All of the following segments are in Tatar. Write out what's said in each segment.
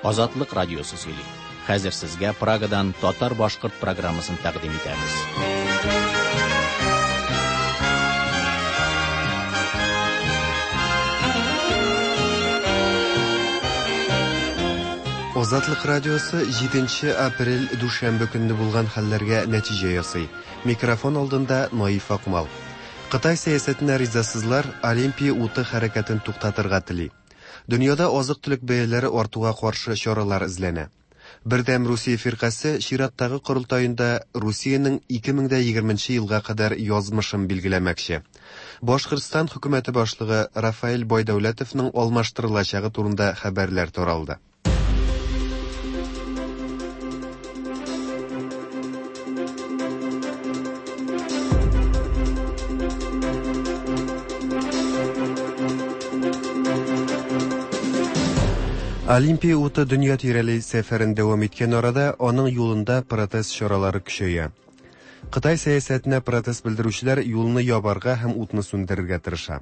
Азатлык радиосы сөйли. Хәзер сезгә Прагадан татар-башкорт программасын тәкъдим итәбез. Азатлык радиосы 7 апрель дүшәмбе көнне булган хәлләргә нәтиҗә ясый. Микрофон алдында Наиф Акмал. Кытай сәясәтенә ризасызлар Олимпия уты хәрәкәтен туктатырга тели. Дөньяда азык-төлек бәяләре артуга каршы чаралар эзләнә. Бердәм Русия фиркасе чираттагы корылтаенда Русиянең 2020 елга кадәр язмышын билгеләмәкче. Башкортстан хөкүмәте башлыгы Рафаэль Байдәүләтовның алмаштырылачагы турында хәбәрләр таралды. Олимпия уты дөнья тирәли сәфәрен дәвам иткән арада, аның юлында протест чаралары көчәя. Кытай сәясәтенә протест белдерүчеләр юлны ябарга һәм утны сүндерергә тырыша.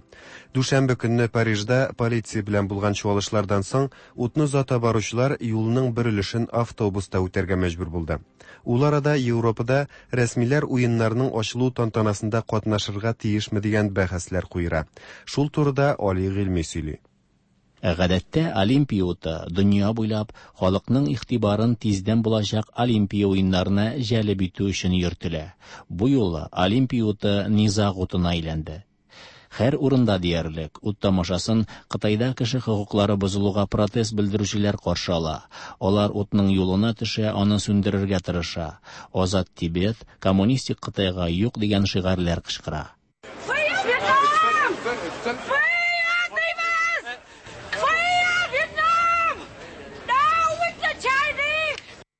Дүшәмбе көнне Парижда полиция белән булган чуалышлардан соң утны озата баручылар юлның бер өлешен автобуста үтәргә мәҗбүр булды. Ул арада Европада рәсмиләр уеннарның ачылу тантанасында катнашырга тиешме дигән бәхәсләр куера. Шул турыда Али Гыйльми сөйли. Гадәттә Олимпия уты дөнья буйлап халыкның игътибарын тиздән булачак Олимпия уеннарына җәлеп итү өчен йөртелә. Бу юлы Олимпия уты низаг утына әйләнде. Һәр урында диярлек ут тамашасын Кытайда кеше хокуклары бозылуга протест белдерүчеләр каршы ала. Алар утның юлына төшә, аны сүндерергә тырыша. Азат Тибет, коммунистик Кытайга юк дигән шигарьләр кычкыра.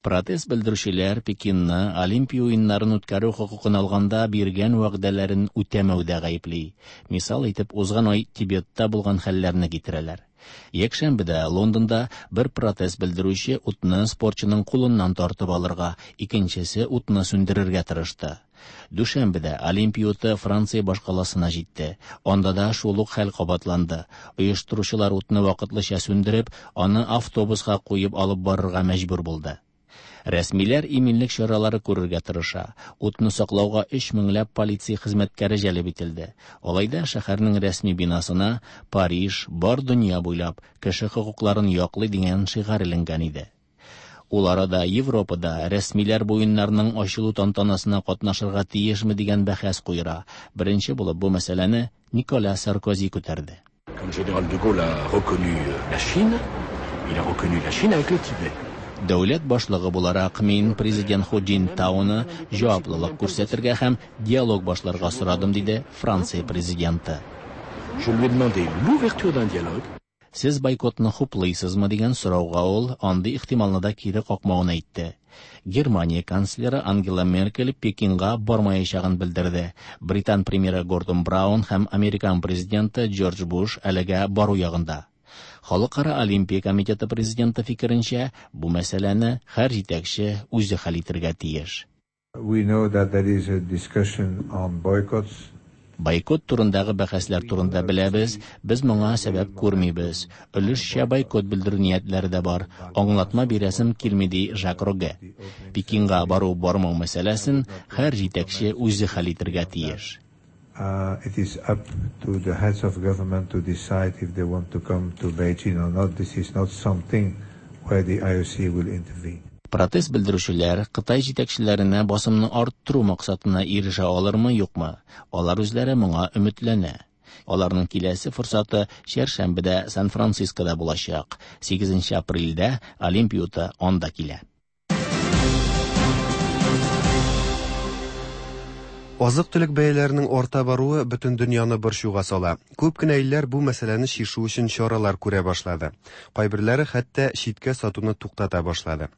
Протест белдерүчеләр Пекинны Олимпия уеннарын үткәрү хокукын алганда биргән вәгъдәләрен үтәмәүдә гаепли. Мисал итеп, узган ай Тибетта булган хәлләрне китерәләр. Якшәмбедә Лондонда бер протест белдерүче утны спортчының кулыннан тартып алырга, икенчесе утны сүндерергә тырышты. Дүшәмбедә Олимпия уты Франция башкаласына җитте. Анда да шул ук хәл кабатланды. Оештыручылар утны вакытлыча сүндереп, аны автобуска куеп алып барырга мәҗбүр булды. Рәсмиләр иминлек чаралары күрергә тырыша. Утны саклауга 3 меңләп полиция хезмәткәре җәлеп ителде. Алай да шәһәрнең рәсми бинасына Париж бар дөнья буйлап кеше хокукларын яклый дигән шигарь эленгән иде. Ул арада Европада рәсмиләр бу уеннарның ачылу тантанасына катнашырга тиешме дигән бәхәс куера. Беренче булып бу мәсьәләне Николя Саркози күтәрде. Quand le général de Gaulle a reconnu la Chine, il a reconnu la Chine avec le Tibet. Дәүләт башлыгы буларак мин президент Ху Цзиньтауны җаваплылык күрсәтергә һәм диалог башларга сорадым, диде Франция президенты. Je lui ai demandé l'ouverture d'un dialogue. Сез бойкотны хуплыйсызмы дигән сорауга ул андый ихтималны да кире какмавын әйтте. Германия канцлеры Ангела Меркель Пекинга бармаячагын белдерде. Британ премьеры Гордон Браун һәм американ президенты Джордж Буш әлегә бару ягында. Халыкара Олимпия комитеты президенты фикеренчә, бу мәсьәләне һәр җитәкче үзе хәл итәргә тиеш. We know that there is a discussion on boycotts. Бойкот турындагы бәхәсләр турында беләбез, без моңа сәбәп күрмибез. Өлешчә бойкот белдерү ниятләре дә бар. Аңлатма бирәсем килми, ди Жак Роге. Пекинга бару бармау мәсьәләсен һәр җитәкче үзе хәл итәргә тиеш. It is up to the heads of government to decide if they want to come to Beijing or not. This is not something where the IOC will intervene. Протест белдерүчеләр Кытай җитәкчеләренә басымны арттыру максатына ирешә алырмы, юкмы? Алар үзләре моңа өметләнә. Аларның киләсе форсаты чәршәмбедә Сан-Францискода булачак. 8 апрельдә Олимпия уты анда килә. Азык-төлек бәяләренең арта баруы бөтен дөньяны борчуга сала. Күп кенә илләр бу мәсьәләне чишү өчен чаралар күрә башлады. Кайберләре хәтта читкә сатуны туктата башлады.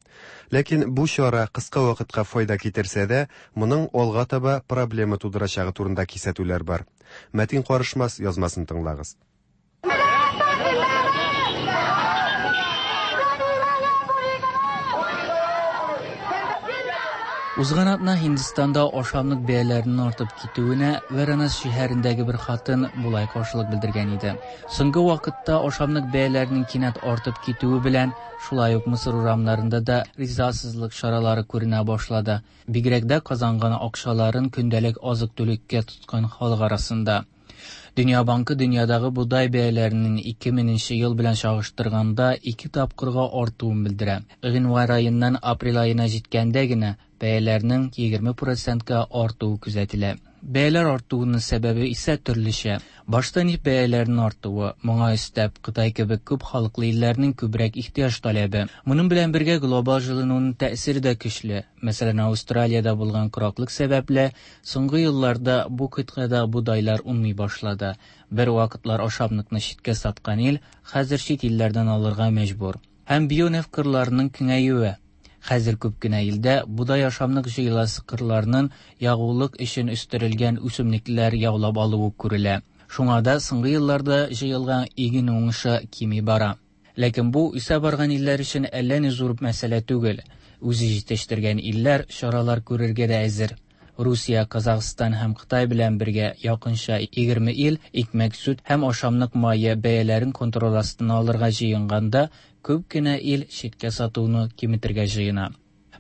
Ләкин бу чара кыска вакытка файда китерсә дә, моның алга таба проблема тудырачагы турында кисәтүләр бар. Мәтин Карышмас язмасын тыңлагыз. Узган атна Һиндстанда ашамлык бәяләренең артып китүенә Варанас шәһәрендәге бер хатын болай каршылык белдергән иде. Соңгы вакытта ашамлык бәяләренең кинәт артып китүе белән шулай ук Мисыр урамнарында да ризасызлык чаралары күренә башлады. Бигрәк дә казанган акчаларын көндәлек азык-төлеккә тоткан халык арасында. Дөнья банкы дөньядагы бодай бәяләренең 2000 ел белән чагыштырганда ике тапкырга артуын белдерә. Гыйнвар аеннан апрель аена җиткәндә генә бәяләрнең 20%ка артуы күзәтелә. Бәяләр артуының сәбәбе исә төрлечә. Башта нефть бәяләренең артуы, моңа өстәп Кытай кебек күп халыклы илләрнең күбрәк ихтыяҗ таләбе. Моның белән бергә глобал җылынуның тәэсире дә көчле. Мәсәлән, Австралиядә булган кораклык сәбәпле, соңгы елларда бу кыйтгада бодайлар уңмый башлады. Бер вакытлар ашамлыкны читкә саткан ил хәзер чит илләрдән алырга мәҗбүр. Һәм бионефть кырларының киңәюе. Хәзер күп кенә илдә бодай ашамлык җыеласы кырларның ягулык өчен үстерелгән үсемлекләр яулап алуы күрелә. Шуңа да соңгы елларда җыелган иген уңышы кими бара. Ләкин бу үсә барган илләр өчен әллә ни зур мәсьәлә түгел. Үзе җитештергән илләр чаралар күрергә дә әзер. Русия, Казахстан һәм Кытай белән бергә якынча 20 ил икмәк, сөт һәм ашамлык мае бәяләрен контроль астына алырга җыенганда, күп кенә ил читкә сатуны киметергә җыена.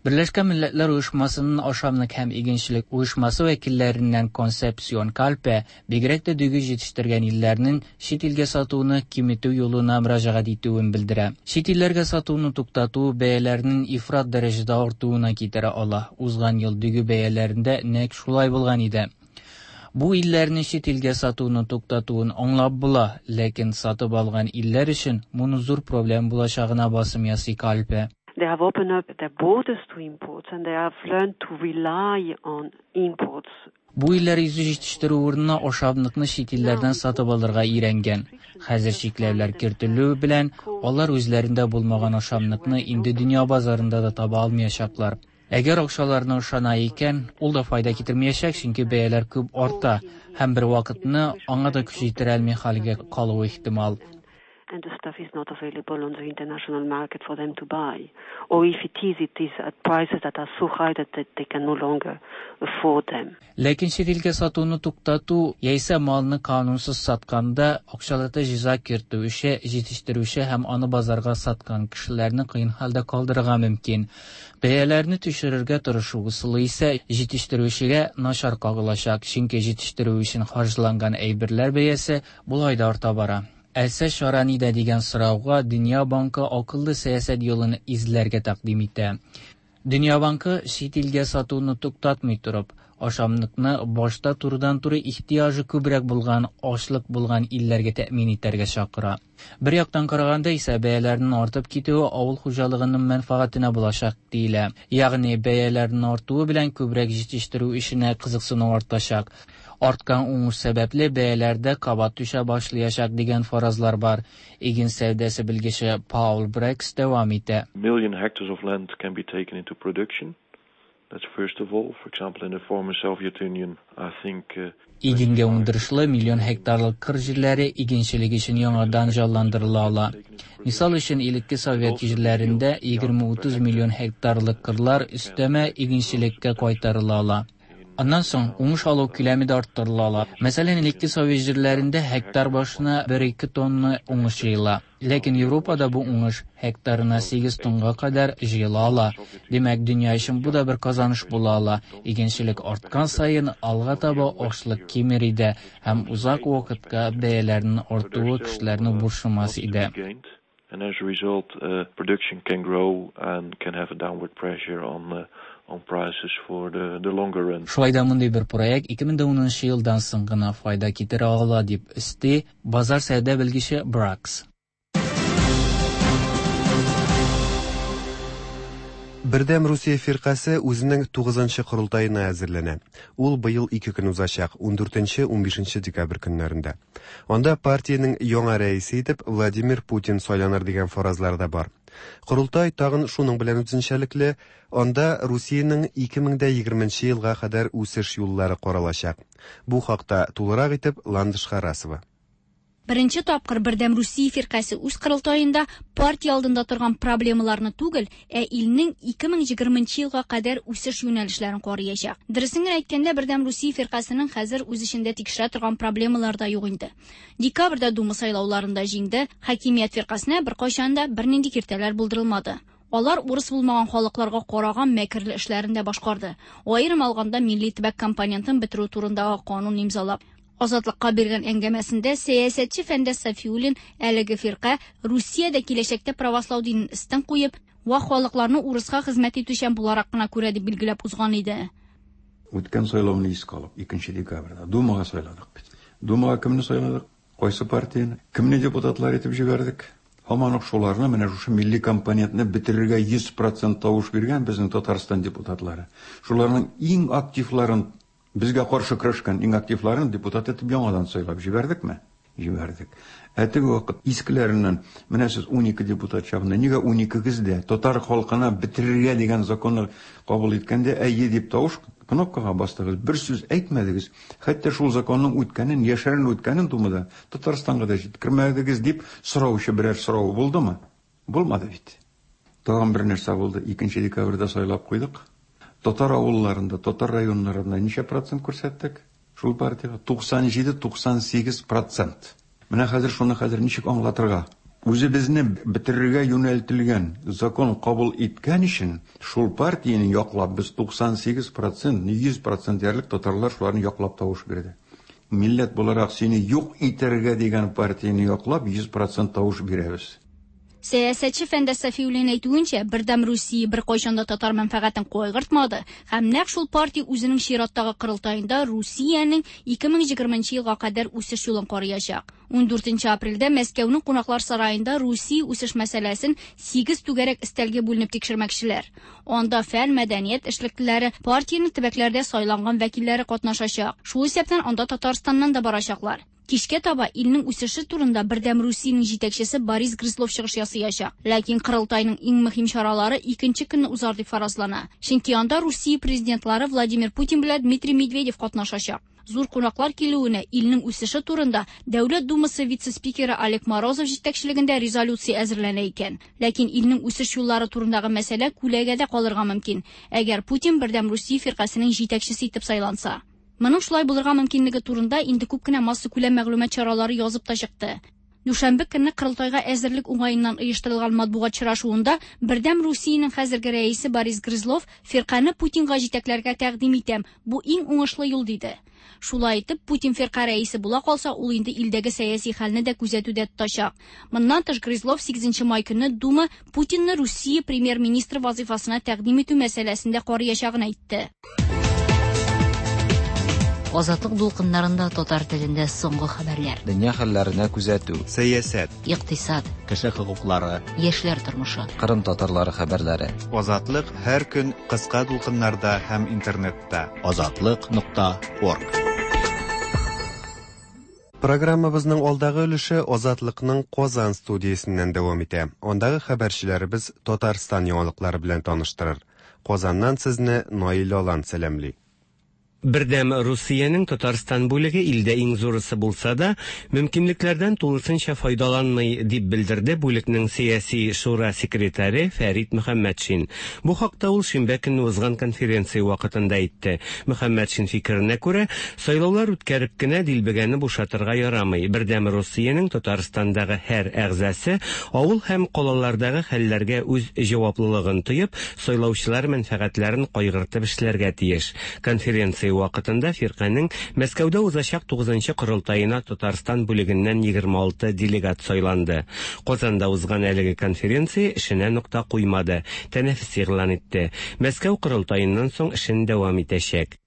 Берләшкән Милләтләр Оешмасының ашамлык һәм игенчелек оешмасы вәкилләреннән Консепсион Кальпе бигрәк тә дөге җитештергән илләрнең чит илгә сатуны киметү юлына мөрәҗәгать итүен белдерә. Чит илләргә сатуны туктату бәяләрнең ифрат дәрәҗәдә артуына китерә ала. Узган ел дөге бәяләрендә нәкъ шулай булган иде. Бу илләрне чит илгә сатуны туктатуын аңлап була, ләкин сатып алган илләр өчен моны зур проблем булачагына басым ясый Кальпе. They have opened up their borders to imports and they have learned to rely on imports. Бу илләр үзе җитештерү урынына ашамлыкны чит илләрдән сатып алырга өйрәнгән. Хәзер чикләүләр кертелү белән алар үзләрендә булмаган ашамлыкны инде дөнья базарында да таба алмаячаклар. Әгәр акчаларына ышана икән, ул да файда китермәячәк, чөнки бәяләр күп арта һәм бер вакытны аңа да көч җитерә алмый хәлгә калуы ихтимал. And the stuff is not available on the international market for them to buy. Or if it is, it is at prices that are so high that they can no longer afford them. Ләкин чит илгә сатуны туктату яисә малны канунсыз сатканда акчалата җәза кертү эше җитештерүче һәм аны базарга саткан кешеләрне кыен хәлдә калдырырга мөмкин. Бәяләрне төшерергә тырышу ысулы исә җитештерүчегә начар кагылачак, чөнки җитештерү өчен харҗланган әйберләр бәясе болай да арта бара. Әсә чара нидә дигән сорауга Дөнья банкы акыллы сәясәт юлын эзләргә тәкъдим итә. Дөнья банкы чит илгә сатуны туктатмый торып, ашамлыкны башта турыдан-туры ихтыяҗы күбрәк булган, ачлык булган илләргә тәэмин итәргә чакыра. Бер яктан караганда исә бәяләрнең артып китүе авыл хуҗалыгының мәнфәгатенә булачак диелә. Ягъни бәяләрнең артуы белән күбрәк җитештерү эшенә кызыксыну артачак. Арткан уңыш сәбәпле бәяләрдә кабат төшә башлаячак дигән фаразлар бар. Иген сәүдәсе белгече Паул Брекс дәвам итә. Million hectares of land can be taken into production. That's first of all. For example, in the former Soviet Union, I think Игенгә уңдырышлы миллион гектарлык кыр җирләре игенчелек өчен яңадан җанландырыла ала. Мисал өчен, элекке совет җирләрендә 20-30 миллион гектарлык кырлар өстәмә игенчелеккә кайтарыла ала. Аннан соң уңыш алу күләме дә арттырыла ала. Мәсәлән, элекке совет җирләрендә гектар башына 1-2 тонна уңыш җыела. Ләкин Европада бу уңыш гектарына 8 тонга кадәр җыела ала. Димәк, дөнья өчен бу да бер казаныш була ала. Игенчелек арткан саен алга таба ашлык кимер иде һәм узак вакытка бәяләрнең артуы кешеләрне борчымас иде. And as a result, production can grow and can have a downward pressure on prices for the longer run. Шулай да мондый бер проект 2010 елдан соң гына файда китерә ала, дип өсти базар сәүдә белгече Бракс. Бердәм Русия фиркасе үзенең 9-нчы корылтаена әзерләнә. Ул быел 2 көн узачак, 14-15 декабрь көннәрендә. Анда партиянең яңа рәисе итеп Владимир Путин сайланыр дигән фаразлар да бар. Корылтай тагын шуның белән үзенчәлекле, анда Русиянең 2020 елга кадәр үсеш юллары каралачак. Бу хакта тулырак итеп Ландыш Харасова. Беренче тапкыр Бердәм Русия фиркасе үз корылтаенда партия алдында торган проблемаларны түгел, ә илнең 2020 нче елга кадәр үсеш юнәлешләрен карыячак. Дөресен генә әйткәндә, Бердәм Русия фиркасенең хәзер үз эчендә тикшерә торган проблемалар да юк инде. Декабрьдә Дума сайлауларында җиңде, хакимият фиркасенә беркайчан да бернинди киртәләр булдырылмады. Алар урыс булмаган халыкларга караган мәкерле эшләрен дә башкарды. Аерым алганда, милли төбәк компонентын бетерү турындагы канун имзалап. Азатлыкка биргән әңгәмәсендә сәясәтче Фәндәс Сафиуллин әлеге фирка Русиядә киләчәктә правослау динен өстен куеп, вак халыкларны урыска хезмәт итүчән буларак кына күрә дип билгеләп узган иде. Үткән сайлауны искә алып, икенче декабрьдә Думага сайладык бит. Думага кемне сайладык? Кайсы партияне? Кемне депутатлар итеп җибәрдек? Һаман ук шуларны, менә шушы милли компонентны бетерергә 100 процент тавыш биргән безнең Татарстан депутатлары. Шуларның иң активларын, безгә каршы көрәшкән иң активларын депутат итеп яңадан сайлап җибәрдекме? Җибәрдек. Ә теге вакыт искеләреннән, менә сез 12 депутат чагында, нигә уникегез дә татар халкына бетерергә дигән законны кабул иткәндә әйе дип тавыш кнопкага бастыгыз, бер сүз әйтмәдегез, хәтта шул законның үткәнен, яшерен үткәнен Думада Татарстанга да җиткермәдегез дип сораучы берәр сорау булдымы? Булмады бит. Тагын бер нәрсә булды, 2 декабрьдә сайлап куйдык. Татар авылларында, татар районнарында ничә процент күрсәттек? Шул партиягә 97-98 процент. Менә хәзер шуны хәзер ничек аңлатырга? Үзебезне бетерергә юнәлтелгән закон кабул иткән өчен шул партияне яклап без 98 процент, 100 процент диярлек татарлар шуларны яклап тавыш бирде. Милләт буларак сине юк итәргә дигән партияне яклап 100 процент тавыш бирәбез. Сәясәтче Фәндәс Сафиуллин әйтүенчә, Бердәм Русия беркайчан да татар мәнфәгатен кайгыртмады һәм нәкъ шул партия үзенең чираттагы корылтаенда Русиянең 2020 нче елга кадәр үсеш юлын карыячак. 14 апрельдә Мәскәүнең кунаклар сараенда Русия үсеш мәсьәләсен сигез түгәрәк өстәлгә бүленеп тикшермәкчеләр. Анда фән, мәдәният эшлеклеләре, партиянең төбәкләрдә сайланган вәкилләре катнашачак. Шул исәптән анда Татарстаннан да барачаклар. Кичкә таба илнең үсеше турында Бердәм Русиянең җитәкчесе Борис Грызлов чыгыш ясыячак. Ләкин корылтайның иң мөһим чаралары икенче көнне узар дип фаразлана. Чөнки анда Русия президентлары Владимир Путин белән Дмитрий Медведев катнашачак. Зур кунаклар килүенә илнең үсеше турында Дәүләт Думасы вице-спикеры Олег Морозов җитәкчелегендә резолюция әзерләнә икән. Ләкин илнең үсеш юллары турындагы мәсьәлә күләгәдә калырга мөмкин, әгәр Путин Бердәм Русия фиркасенең җитәкчесе итеп сайланса. Моның шулай булырга мөмкинлеге турында инде күп кенә массакүләм мәгълүмат чаралары язып та чыкты. Дүшәмбе көнне корылтайга әзерлек уңаеннан оештырылган матбугат очрашуында Бердәм Русиянең хәзерге рәисе Борис Грызлов фиркане Путинга җитәкләргә тәкъдим итәм, бу иң уңышлы юл диде. Шулай итеп, Путин фирка рәисе була калса, ул инде илдәге сәяси хәлне дә күзәтүдә тотачак. Моннан тыш Грызлов 8 май көнне Дума Путинны Русия премьер-министры вазыйфасына тәкъдим итү мәсьәләсен дә карыячагын әйтте. Азатлык дулкыннарында татар телендә соңгы хәбәрләр. Дөнья хәлләренә күзәтү. Сәясәт. Икътисад. Кеше хокуклары. Яшьләр тормышы. Кырым татарлары хәбәрләре. Азатлык һәр көн кыска дулкыннарда һәм интернетта. Азатлык нокта орг. Программабызның алдагы өлеше Азатлыкның Казан студиясеннән дәвам итә. Андагы хәбәрчеләребез Татарстан яңалыклары белән таныштырыр. Казаннан сезне Наил Алан сәламли. Бердәм Русиянең Татарстан бүлеге илдә иң зурысы булса да, мөмкинлекләрдән тулысынча файдаланмый, дип белдерде бүлекнең сәяси шура секретаре Фәрит Мөхәммәтшин. Бу хакта ул шимбә көнне узган конференция вакытында әйтте. Мөхәммәтшин фикеренә күрә, сайлаулар үткәреп кенә дилбегәне бушатырга ярамый. Бердәм Русиянең Татарстандагы һәр әгъзасы авыл һәм калалардагы хәлләргә үз җаваплылыгын тоеп, сайлаучылар мәнфәгатьләрен кайгыртып эшләргә тиеш. Конференция вакытында фирканең Мәскәүдә узачак 9нчы корылтаена Татарстан бүлегеннән 26 делегат сайланды. Казанда узган әлеге конференция эшенә нокта куймады, тәнәфес игълан итте. Мәскәү корылтаеннан соң эшен дәвам итәчәк.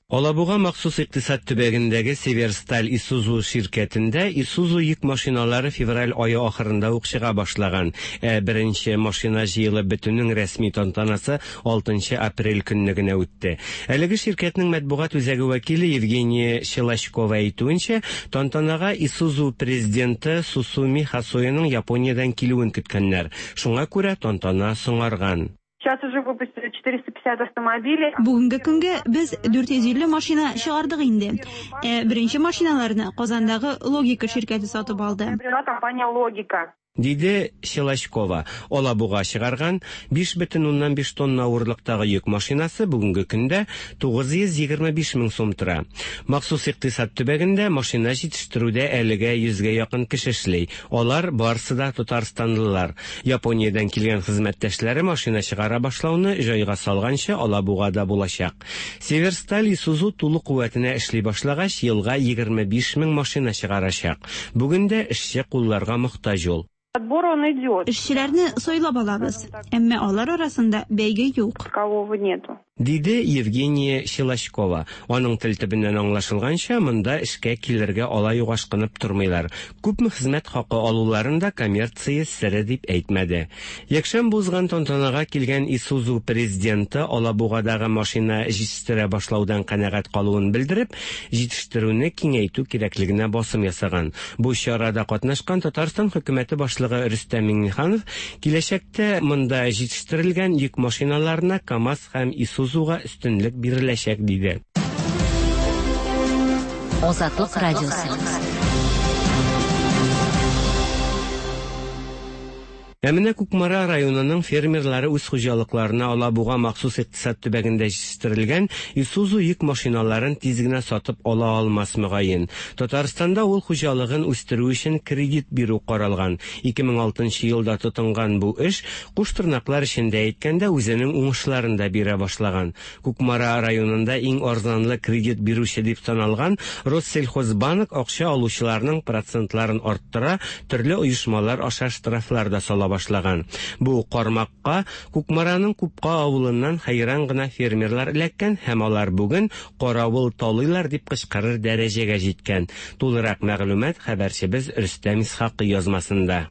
Алабуга махсус икътисад төбәгендәге Северсталь Исузу ширкәтендә Исузу йөк машиналары февраль ае ахырында ук чыга башлаган. Ә беренче машина җыелып бетүнең рәсми тантанасы 6 апрель көнне генә үтте. Әлеге ширкәтнең матбугат үзәге вәкиле Евгения Щелочкова әйтүенчә, тантанага Исузу президенты Сусуми Хасояның Япониядән килүен көткәннәр. Шуңа күрә тантана соңарган. Сейчас уже выпустили 450 автомобилей. Бүгенге көнгә без 450 машина чыгардык инде. Ә беренче машиналарны Казандагы Логика ширкәте сатып алды. Приобрела компания «Логика». Диде Щелочкова. Алабуга чыгарган 5,5 тонна авырлыктагы йөк машинасы бүгенге көндә 925 мең сум тора. Махсус икътисад төбәгендә машина җитештерүдә әлегә 100гә якын кеше эшли. Алар барысы да татарстанлылар. Япониядән килгән хезмәттәшләре машина чыгара башлауны җайга салганчы Алабугада булачак. Северсталь Исузу тулы куәтенә эшли башлагач, елга 25 мең машина чыгарачак. Бүген дә эшче кулларга мохтаҗ ул. Отбор он идет. Эшчеләрне сайлап алабыз, әмма алар арасында бәйге юк. Такового нету. Диде Евгения Щелочкова. Аның тел төбеннән аңлашылганча, монда эшкә килергә алай ук ашкынып тормыйлар. Күпме хезмәт хакы алуларын да коммерция сере дип әйтмәде. Якшәмбе узган тантанага килгән Исузу президенты Алабугадагы машина җитештерә башлаудан канәгать калуын белдереп, җитештерүне киңәйтү кирәклегенә басым ясаган. Бу чарада катнашкан Татарстан хөкүмәте башлыгы Рөстәм Миңнеханов киләчәктә монда җитештерелгән йөк машиналарына КАМАЗ һәм Исузуга өстенлек биреләчәк, диде. Азатлык радиосы. Ә менә Кукмара районының фермерлары үз хуҗалыкларына Алабуга махсус икътисад төбәгендә җитештерелгән Исузу йөк машиналарын тиз генә сатып ала алмас, мөгаен. Татарстанда авыл хуҗалыгын үстерү өчен кредит бирү каралган. 2006 елда тотынган бу эш, куш тырнаклар эчендә әйткәндә, үзенең уңышларын да бирә башлаган. Кукмара районында иң арзанлы кредит бирүче дип саналган Россельхозбанк акча алучыларның процентларын арттыра, төрле оешмалар аша штрафлар да сала башлаган. Бу кармакка Кукмараның Купка авылыннан хәйран гына фермерлар эләккән һәм алар бүген каравыл талыйлар дип кычкырыр дәрәҗәгә җиткән. Тулырак мәгълүмат хәбәрчебез Рөстәм Исхакый язмасында.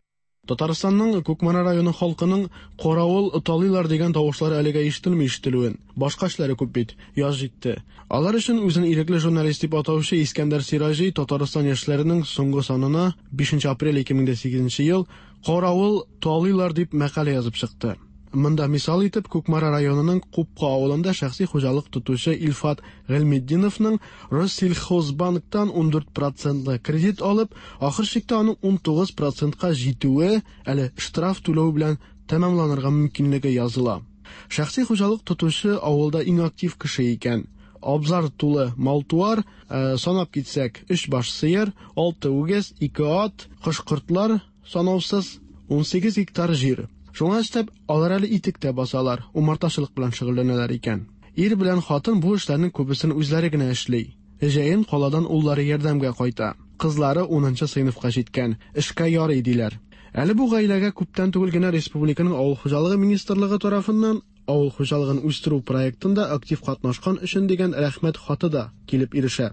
Татарстанның Кукмара районы халкының каравыл талыйлар дигән тавышлары әлегә ишетелми ишетелүен. Башка эшләре күп бит. Яз җитте. Алар өчен үзен ирекле журналист дип атаучы Искәндәр Сираҗи Татарстан яшьләренең соңгы санына 5 апрель 2008 ел Каравыл талыйлар дип мәкалә язып чыкты. Монда мисал итеп Кукмара районының Купка авылында шәхси хуҗалык тотучы Илфат Гыйльметдиновның Россельхозбанктан 14 процентлы кредит алып, ахыр чиктә аның 19 процентка җитүе, әле штраф түләү белән тәмамланырга мөмкинлеге языла. Шәхси хуҗалык тотучы авылда иң актив кеше икән. Абзар тулы мал-туар, санап китсәк, 3 баш сыер, 6 үгез, 2 ат, кош-кортлар санаусыз, 18 гектар җир. Шуңа өстәп, алар әле итек тә басалар, умартачылык белән шөгыльләнәләр икән. Ир белән хатын бу эшләрнең күбесен үзләре генә эшли. Җәен каладан уллары ярдәмгә кайта. Кызлары 10 сыйныфка җиткән, эшкә ярый диләр. Әле бу гаиләгә күптән түгел генә республиканың Авыл хуҗалыгы министрлыгы тарафыннан авыл хуҗалыгын үстерү проектында актив катнашкан өчен дигән рәхмәт хаты да килеп ирешә.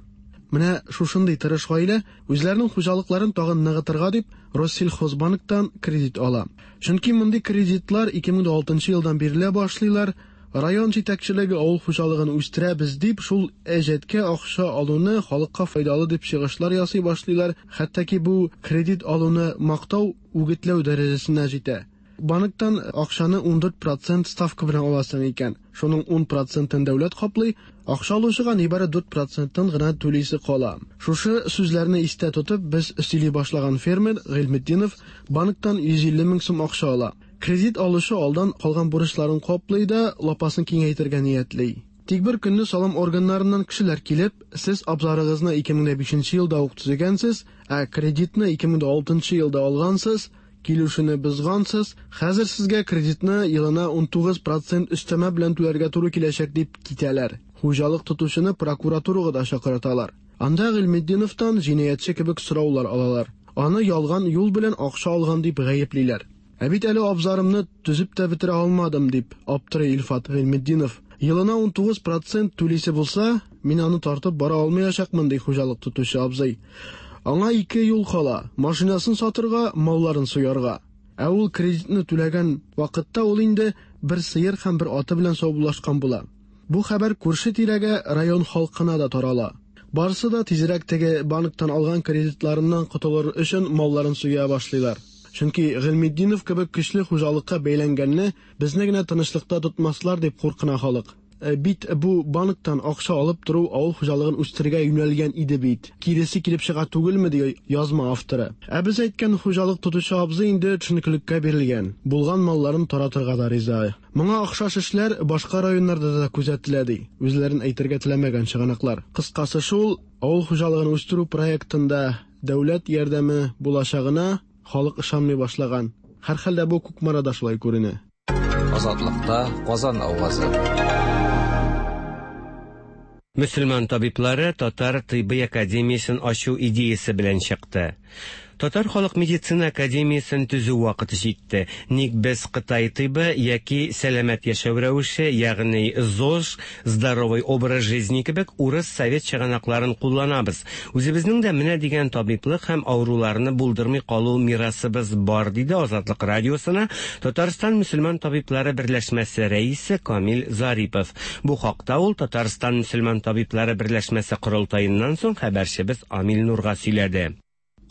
Менә шушындый тырыш гаилә үзләренең хуҗалыкларын тагын ныгытырга дип Россельхозбанктан кредит ала. Чөнки мондый кредитлар 2006 елдан бирелә башлыйлар. Район җитәкчелеге авыл хуҗалыгын үстерәбез дип, шул әҗәткә акча алуны халыкка файдалы дип чыгышлар ясый башлыйлар. Хәтта ки бу кредит алуны мактау, үгетләү дәрәҗәсенә җитә. Банктан акчаны 14 процент ставка белән аласың икән. Шуның 10 процентын дәүләт каплый, акча алучыга нибары 4 процентын гына түлисе кала. Шушы сүзләрне истә тотып, без сөйли башлаган фермер Гыйльметдинов банктан 150 мең сум акча ала. Кредит алучы алдан калган бурычларын каплый да, лапасын киңәйтергә ниятли. Тик бер көнне салым органнарыннан кешеләр килеп, сез абзарыгызны 2005 елда ук төзегәнсез, ә кредитны 2006 елда алгансыз, килешүне бозгансыз, хәзер сезгә кредитны елына 19 процент өстәмә белән түләргә туры киләчәк дип китәләр. Хуҗалык тотучыны прокуратурага да чакырталар. Анда Гыйльметдиновтан җинаятьче кебек сораулар алалар. Аны ялган юл белән акча алган дип гаеплиләр. Ә бит әле абзарымны төзеп тә бетерә алмадым дип аптырый Илфат Гыйльметдинов. Елына 19 процент түлисе булса, мин аны тартып бара алмаячакмын, ди хуҗалык тотучы абзый. Аңа ике юл кала: машинасын сатырга, малларын суярга. Ә ул кредитны түләгән вакытта ул инде бер сыер һәм бер аты белән саубуллашкан була. Бу хәбәр күрше тирәгә, район халкына да тарала. Барысы да тизрәк теге банктан алган кредитларыннан котылыр өчен малларын суя башлыйлар. Чөнки Гыйльметдинов кебек көчле хуҗалыкка бәйләнгәнне безне генә тынычлыкта тотмаслар дип куркына халык. Э, бит бу банктан акча алып тору авыл хуҗалыгын үстерергә юнәлгән иде бит. Киресе килеп чыга түгелме, ди язма авторы. Ә без әйткән хуҗалык тотучы абзый инде төшенкелеккә бирелгән. Булган малларын таратырга да риза. Моңа охшаш эшләр башка районнарда да күзәтелә, ди үзләрен әйтергә теләмәгән чыганаклар. Кыскасы шул, авыл хуҗалыгын үстерү проектында дәүләт ярдәме булачагына халык ышанмый башлаган. Һәрхәлдә бу Кукмарада шулай күренә. Азатлыкта Казан авазы. Мөселман табиблары Татар тыйбый академиясен ачу идеясе белән чыкты. Татар халык медицина академиясен төзү вакыты җитте. Ник без Кытай тыйбы яки сәламәт яшәү рәвеше, ягъни ЗОЖ, здоровый образ жизни кебек урыс совет чыганакларын кулланабыз. Үзебезнең дә менә дигән табиблык һәм авыруларны булдырмый калу мирасыбыз бар, диде Азатлык радиосына Татарстан мөселман табиблары берләшмәсе рәисе Камил Зарипов. Бу хакта ул Татарстан мөселман табиблары берләшмәсе корылтаеннан соң хәбәрчебез Амил Нурга сөйләде.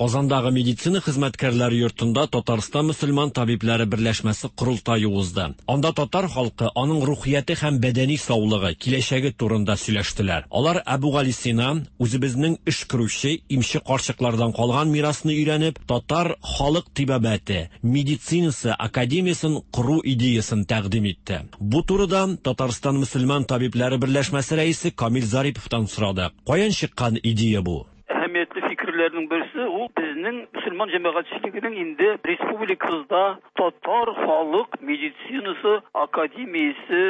Казандагы медицина хезмәткәрләре йортында Татарстан мөселман табибләре берләшмәсе корылтае узды. Анда татар халкы, аның рухияте һәм бәдәни саулыгы, киләчәге турында сөйләштеләр. Алар Әбүгалисина, үзебезнең өшкерүче, имче карчыклардан калган мирасны өйрәнеп, татар халык тибабәте, медицинасы академиясен кору идеясын тәкъдим итте. Бу турыда Татарстан мөселман табибләре берләшмәсе рәисе Камил Зариповтан сорадык. Каян чыккан идея бу? Әһәмиятле фикерләрнең берсе ул безнең мөселман җәмәгатьчелегенең инде республикабызда татар халык медицинасы академиясе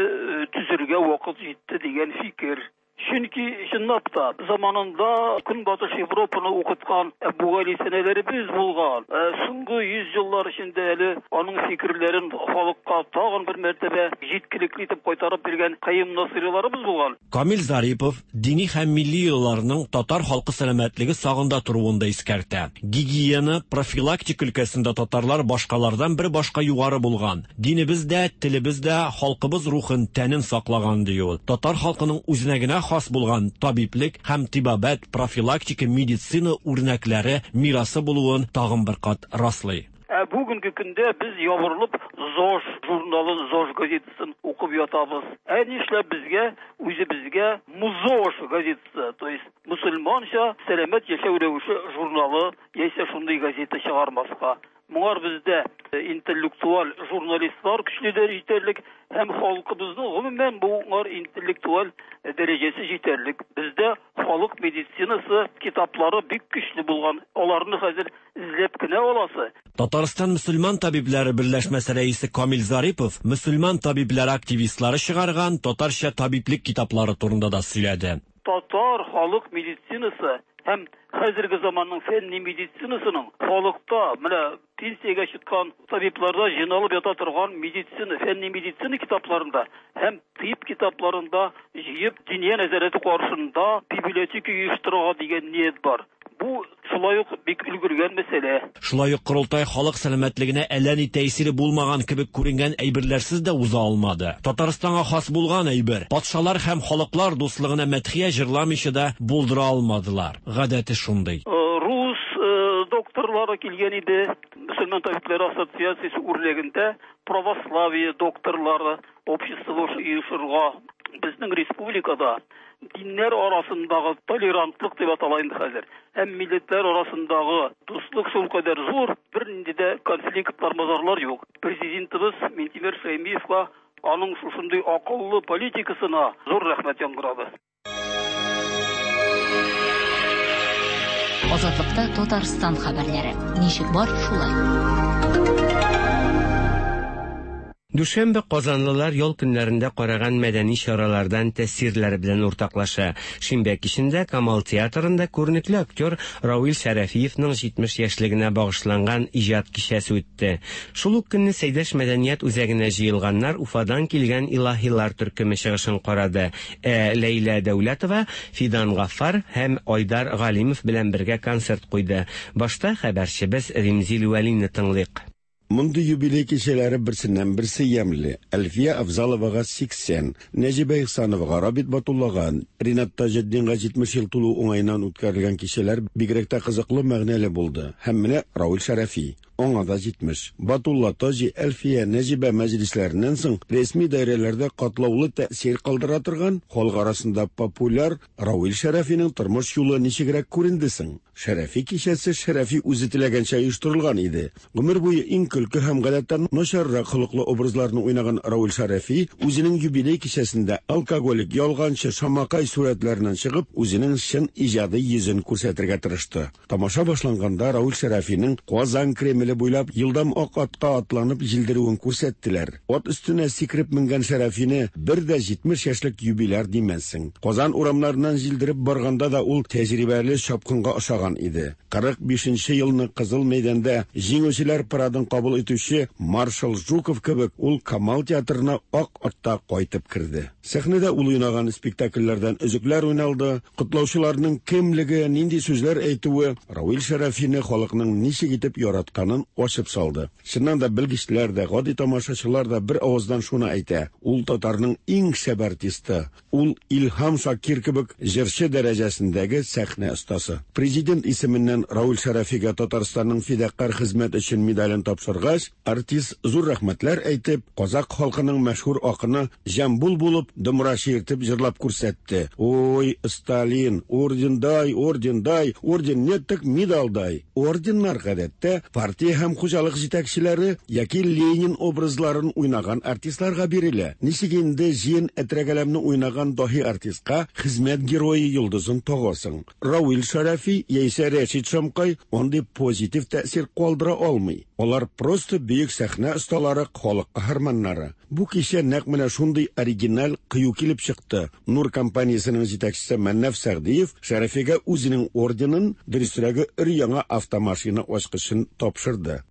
төзергә вакыт җитте дигән фикер. Чөнки чынлап та заманында Көнбатыш Европаны укыткан Әбүгалисинәләребез булган. Соңгы 100 еллар эчендә әле аның фикерләрен халыкка тагын бер мәртәбә җиткелекле итеп кайтарып биргән Каюм Насыйриларыбыз булган. Камил Зарипов дини һәм милли йолаларның татар халкы сәламәтлеге сагында торуын да искәртә. Гигиена, профилактика өлкәсендә татарлар башкалардан бер башка югары булган. Динебез дә, телебез дә халкыбыз рухын, тәнен саклаган, ди ул. Татар халкының үзенә генә хас булган табиблек һәм тибабәт, профилактика, медицина үрнәкләре мирасы булуын тагын бер кат раслый. Ә бүгенге көндә без ябырылып ЗОЖ журналын, ЗОЖ газетасын укып ятабыз. Ә нишләп безгә үзебезгә МУЗОЖ газетасы, то есть мөселманча сәламәт яшәү рәвеше журналы яисә шундый газета чыгармаска? Моңар бездә интеллектуаль журналистлар көчле дә җитәрлек һәм халкыбызның гомумән моңар интеллектуаль дәрәҗәсе җитәрлек. Бездә халык медицинасы китаплары бик көчле булган. Аларны хәзер эзләп кенә аласы. Татарстан мөселман табибләре берләшмәсе рәисе Камил Зарипов мөселман табибләре активистлары чыгарган татарча табиблек китаплары турында да сөйләде. Татар халык медицинасы һәм хәзерге заманның фәнни медицинасының халыкта менә пенсиягә чыккан табибларда җыйналып ята торган медицина, фәнни медицина китапларында һәм тыйб китапларында җыеп Диния нәзарәте каршында библиотека оештырырга дигән ният бар. Бу шулай ук бик өлгергән мәсьәлә. Шулай ук корылтай халык сәламәтлегенә әллә ни тәэсире булмаган кебек күренгән әйберләрсез дә уза алмады. Татарстанга хас булган әйбер, патшалар һәм халыклар дуслыгына мәдхия җырламыйча да булдыра алмадылар. Гадәте шундый. Рус докторлары килгән иде. Мөселман табибләре ассоциациясе үрнәгендә православие докторлары общество оешырга. Безнең республикада диннәр арасындагы толерантлык дип атала инде хәзер. Һәм милләтләр арасындагы дуслык шулкадәр зур, бернинди дә конфликтлар, мазарлар юк. Президентыбыз Минтимер Шәймиевка аның шушындый акыллы политикасына зур рәхмәт яңгырады. Азатлыкта Татарстан хәбәрләре. Ничек бар, шулай. Дүшәмбе казанлылар ял көннәрендә караган мәдәни чаралардан тәэсирләре белән уртаклаша. Шимбә кичендә Камал театрында күренекле актер Равил Шәрәфиевның 70 яшьлегенә багышланган иҗат кичәсе үтте. Шул ук көнне Сәйдәш мәдәният үзәгенә җыелганнар Уфадан килгән илаһилар төркеме чыгышын карады. Ә Ләйлә Дәүләтова Фидан Гаффар һәм Айдар Галимов белән бергә концерт куйды. Башта хәбәрчебез Римзил Вәлине тыңлыйк. Мондый юбилей кичәләре берсеннән-берсе ямьле. Әлфия Авзаловага 80, Нәҗибә Ихсановага, Рабит Батуллага, Ринат Таҗетдинга 70 ел тулу уңаеннан үткәрелгән кичәләр бигрәк тә кызыклы, мәгънәле булды. Һәм менә Равил Шәрәфи. аңа да 70. Батулла, Таҗи, Әлфия, Нәҗибә мәҗлесләреннән соң рәсми даирәләрдә катлаулы тәэсир калдыра торган, халык арасында популяр Равил Шәрәфинең тормыш юлы ничегрәк күренде соң? Шәрәфи кичәсе Шәрәфи үзе теләгәнчә оештырылган иде. Гомер буе иң көлке һәм гадәттә начаррак холыклы образларны уйнаган Равил Шәрәфи үзенең юбилей кичәсендә алкоголик, ялганчы, шамакай сурәтләреннән чыгып, үзенең чын иҗади йөзен күрсәтергә тырышты. Тамаша башланганда Равил Шәрәфинең Казан Кремле буйлап елдам ак атка атланып җилдерүен күрсәттеләр. Ат өстенә сикереп менгән Шәрәфине бер дә 70 яшьлек юбиляр димәссең. Казан урамнарыннан җилдереп барганда да ул тәҗрибәле чапкынга ошаган иде. 45 нче елны Кызыл мәйданда җиңүчеләр парадын кабул итүче маршал Жуков кебек ул Камал театрына ак атта кайтып керде. Сәхнәдә ул уйнаган спектакльләрдән өзекләр уйналды, котлаучыларның кемлеге, нинди сүзләр әйтүе Равил Шәрәфине халыкның ничек итеп яратканын ачып салды. Чыннан да белгечләр дә, гади тамашачылар да бер авыздан шуны әйтә, ул татарның иң шәп артисты, ул Илһам Шакир кебек җырчы дәрәҗәсендәге сәхнә остасы. Президент исеменнән Равил Шәрәфигә Татарстанның фидакарь хезмәт өчен медален тапшыргач, артист зур рәхмәтләр әйтеп, казакъ халкының мәшһүр акыны Җамбул булып, домра чиертеп җырлап күрсәтте. Ой, Сталин, орден дай, орден дай, орден нет, так медаль дай. Орденнар гадәттә партия һәм хуҗалык җитәкчеләре яки Ленин образларын уйнаган артистларга бирелә. Ничек инде Җиен Әтрәгәләмне уйнаган даһи артистка хезмәт герое йолдызын тагасың? Равил Шәрәфи яисә Рәшит Шамкай андый позитив тәэсир калдыра алмый. Алар просто бөек сәхнә осталары, халык каһарманнары. Бу кичә нәкъ менә шундый оригиналь, кыю килеп чыкты. Нур компаниясенең җитәкчесе Мәннаф Сәгъдиев Шәрәфигә үзенең орденын, дөресрәге, өр-яңа автомашина ачкычын тапшырды.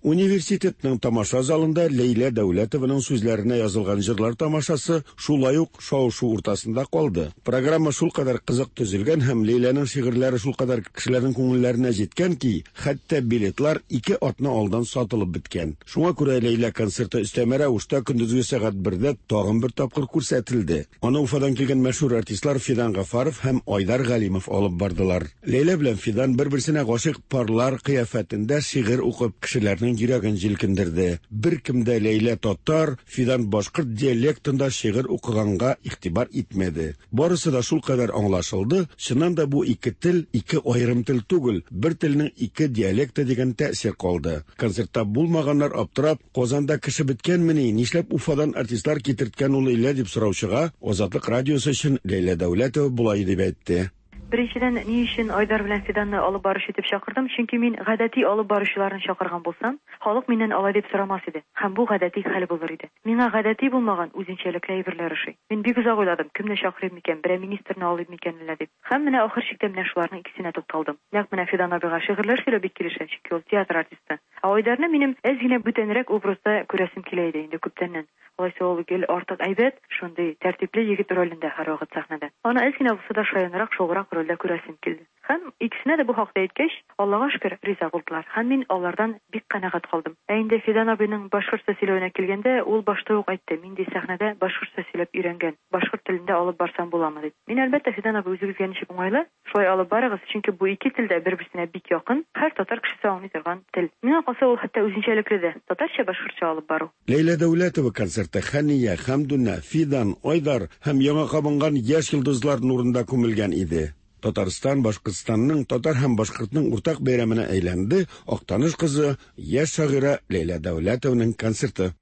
Университетның тамаша залында Ләйлә Дәүләтованың сүзләренә язылган җырлар тамашасы шулай ук шау-шу уртасында калды. Программа шулкадәр кызык төзелгән һәм Ләйләнең шигырьләре шулкадәр кешеләрнең күңелләренә җиткән ки, хәтта билетлар ике атна алдан сатылып беткән. Шуңа күрә Ләйлә концерты өстәмә рәвештә көндезге сәгать бердә тагын бер тапкыр күрсәтелде. Аны Уфадан килгән мәшһүр артистлар Фидан Гафаров һәм Айдар Галимов алып бардылар. Ләйлә белән Фидан бер-берсенә гашыйк парлар кыяфәтендә шигырь укып, кешеләрнең йөрәген җилкендерде. Беркем дә Ләйлә татар, Фидан башкорт диалектында шигырь укыганга игътибар итмәде. Барысы да шулкадәр аңлашылды, чыннан да бу ике тел, ике аерым тел түгел, бер телнең ике диалекты дигән тәэсир калды. Концертта булмаганнар аптырап, Казанда кеше беткәнмени, нишләп Уфадан артистлар китерткән ул Ләйлә дип сораучыга Азатлык радиосы өчен Ләйлә Дәүләтова болай дип әйтте. Беренчедән, ни өчен Айдар белән Фиданны алып баручы итеп чакырдым? Чөнки мин гадәти алып баручыларны чакырган булсам, халык миннән алай дип сорамас иде һәм бу гадәти хәл булыр иде. Миңа гадәти булмаган, үзенчәлекле әйберләр ошый. Мин бик озак уйладым, кемне чакырыйм микән, берәр министрны алыйм микән әллә дип. Һәм менә ахыр чиктә менә шуларның икесенә тукталдым. Нәкъ менә Фидан абыйга шигырьләр сөйләү бик килешә, чөнки ул театр артисты. Ә Айдарны минем әз генә бүтәнрәк образда күрәсем килә иде инде күптәннән. Алайса ул гел артык әйбәт, шундый тәртипле егет ролендә һәрвакыт сәхнәдә. Аны әз генә булса да шаянрак, шуграк рольдә күрәсем килде. Һәм икесенә дә бу хакта әйткәч, Аллага шөкер, риза булдылар. Һәм мин алардан бик канәгать калдым. Ә инде Фидан абыйның башкортча сөйләвенә килгәндә, ул башта ук әйтте, мин ди сәхнәдә башкортча сөйләп өйрәнгән, башкорт телендә алып барсам буламы дип. Мин, әлбәттә, Фидан абый, үзегезгә ничек уңайлы, Шулай алып барыгыз, чөнки бу ике тел дә бер-берсенә бик якын, һәр татар кешесе аңлый торган тел. Миңа калса, ул хәтта үзенчәлекле дә, татарча-башкортча алып бару. Ләйлә Дәүләтова концерты Хәния, Хәмдүнә, Фидан, Айдар һәм яңа кабынган яшь йолдызлар нурында күмелгән иде. Татарстан, Башкортстанның, татар һәм башкортның уртак бәйрәменә әйләнде Актаныш кызы, яшь шагыйрә Ләйлә Дәүләтованың концерты.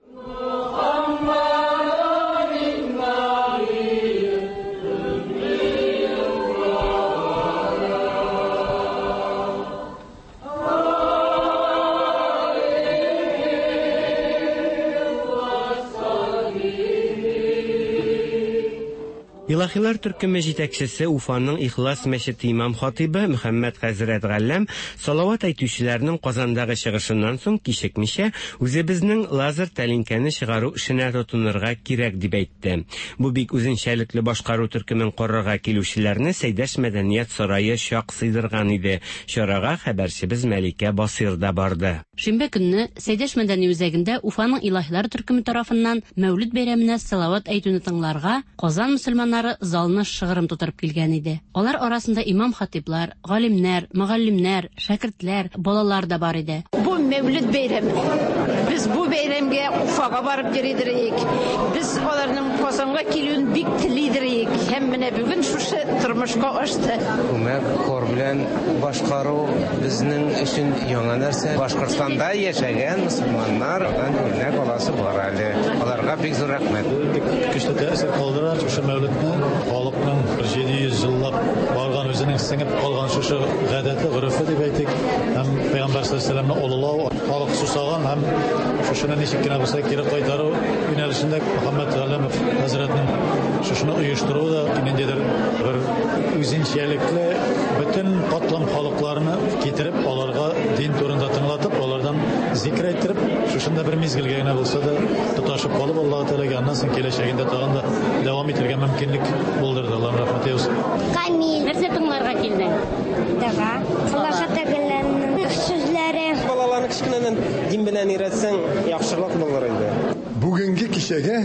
Илаһилар төркеме җитәкчесе Уфаның Ихлас мәчете имам-хатыйбы Мөхәммәт хәзрәт Галләм салават әйтүчеләрнең Казандагы чыгышыннан соң кичекмичә үзебезнең лазер тәлинкәне чыгару эшенә тотынырга кирәк дип әйтте. Бу бик үзенчәлекле башкару төркемен карарга килүчеләрне Сәйдәш мәдәният сарае чак сыйдырган иде. Чарага хәбәрчебез Мәликә Басыйр да барды. Шимбә көнне Сәйдәш мәдәни үзәгендә Уфаның Илаһилар төркеме тарафыннан Мәүлид бәйрәменә салават әйтүне тыңларга Казан мөселманнары кунаклары залны шыгрым тутырып килгән иде. Алар арасында имам-хатыйблар, галимнәр, мөгаллимнәр, шәкертләр, балалар да бар иде. Бу Мәүлид бәйрәме. Без бу бәйрәмгә Уфага барып йөридер идек. Без аларның Казанга килүен бик телидер идек. Һәм менә бүген шушы тормышка ашты. Күмәк хор белән башкару безнең өчен яңа нәрсә. Башкортстанда яшәгән мөселманнардан үрнәк аласы бар әле. Аларга бик зур рәхмәт. Бик көчле тәэсир калдыра шушы Мәүлидне. Халыкның 700 еллап барган үзенең сеңеп калган шушы гадәте, горефе дип әйтик, һәм Пәйгамбәр саллаллаһу алейһи олылау, халык сусаган һәм шушыны ничек кенә булса кире кайтару юнәлешендә Мөхәммәд Галләмов хәзрәтнең шушыны оештыруы да ниндидер бер үзенчәлекле бөтен катлам халыкларны китереп, аларга дин турында тыңлатып, алардан зикр әйттереп, шушында бер мизгелгә генә булса да тоташып калып, Аллаһ Тәгаләгә аннан соң киләчәгендә тагын да дәвам итәргә мөмкинлек булдырды. Аллаһның рәхмәте яусын. Камил. Нәрсә тыңларга килдең? Дога. Аллаһ Тәгаләнең сүзләре. Балаларны кечкенәдән дин белән өйрәтсәң, яхшырак булыр инде. Бүгенге кичәгә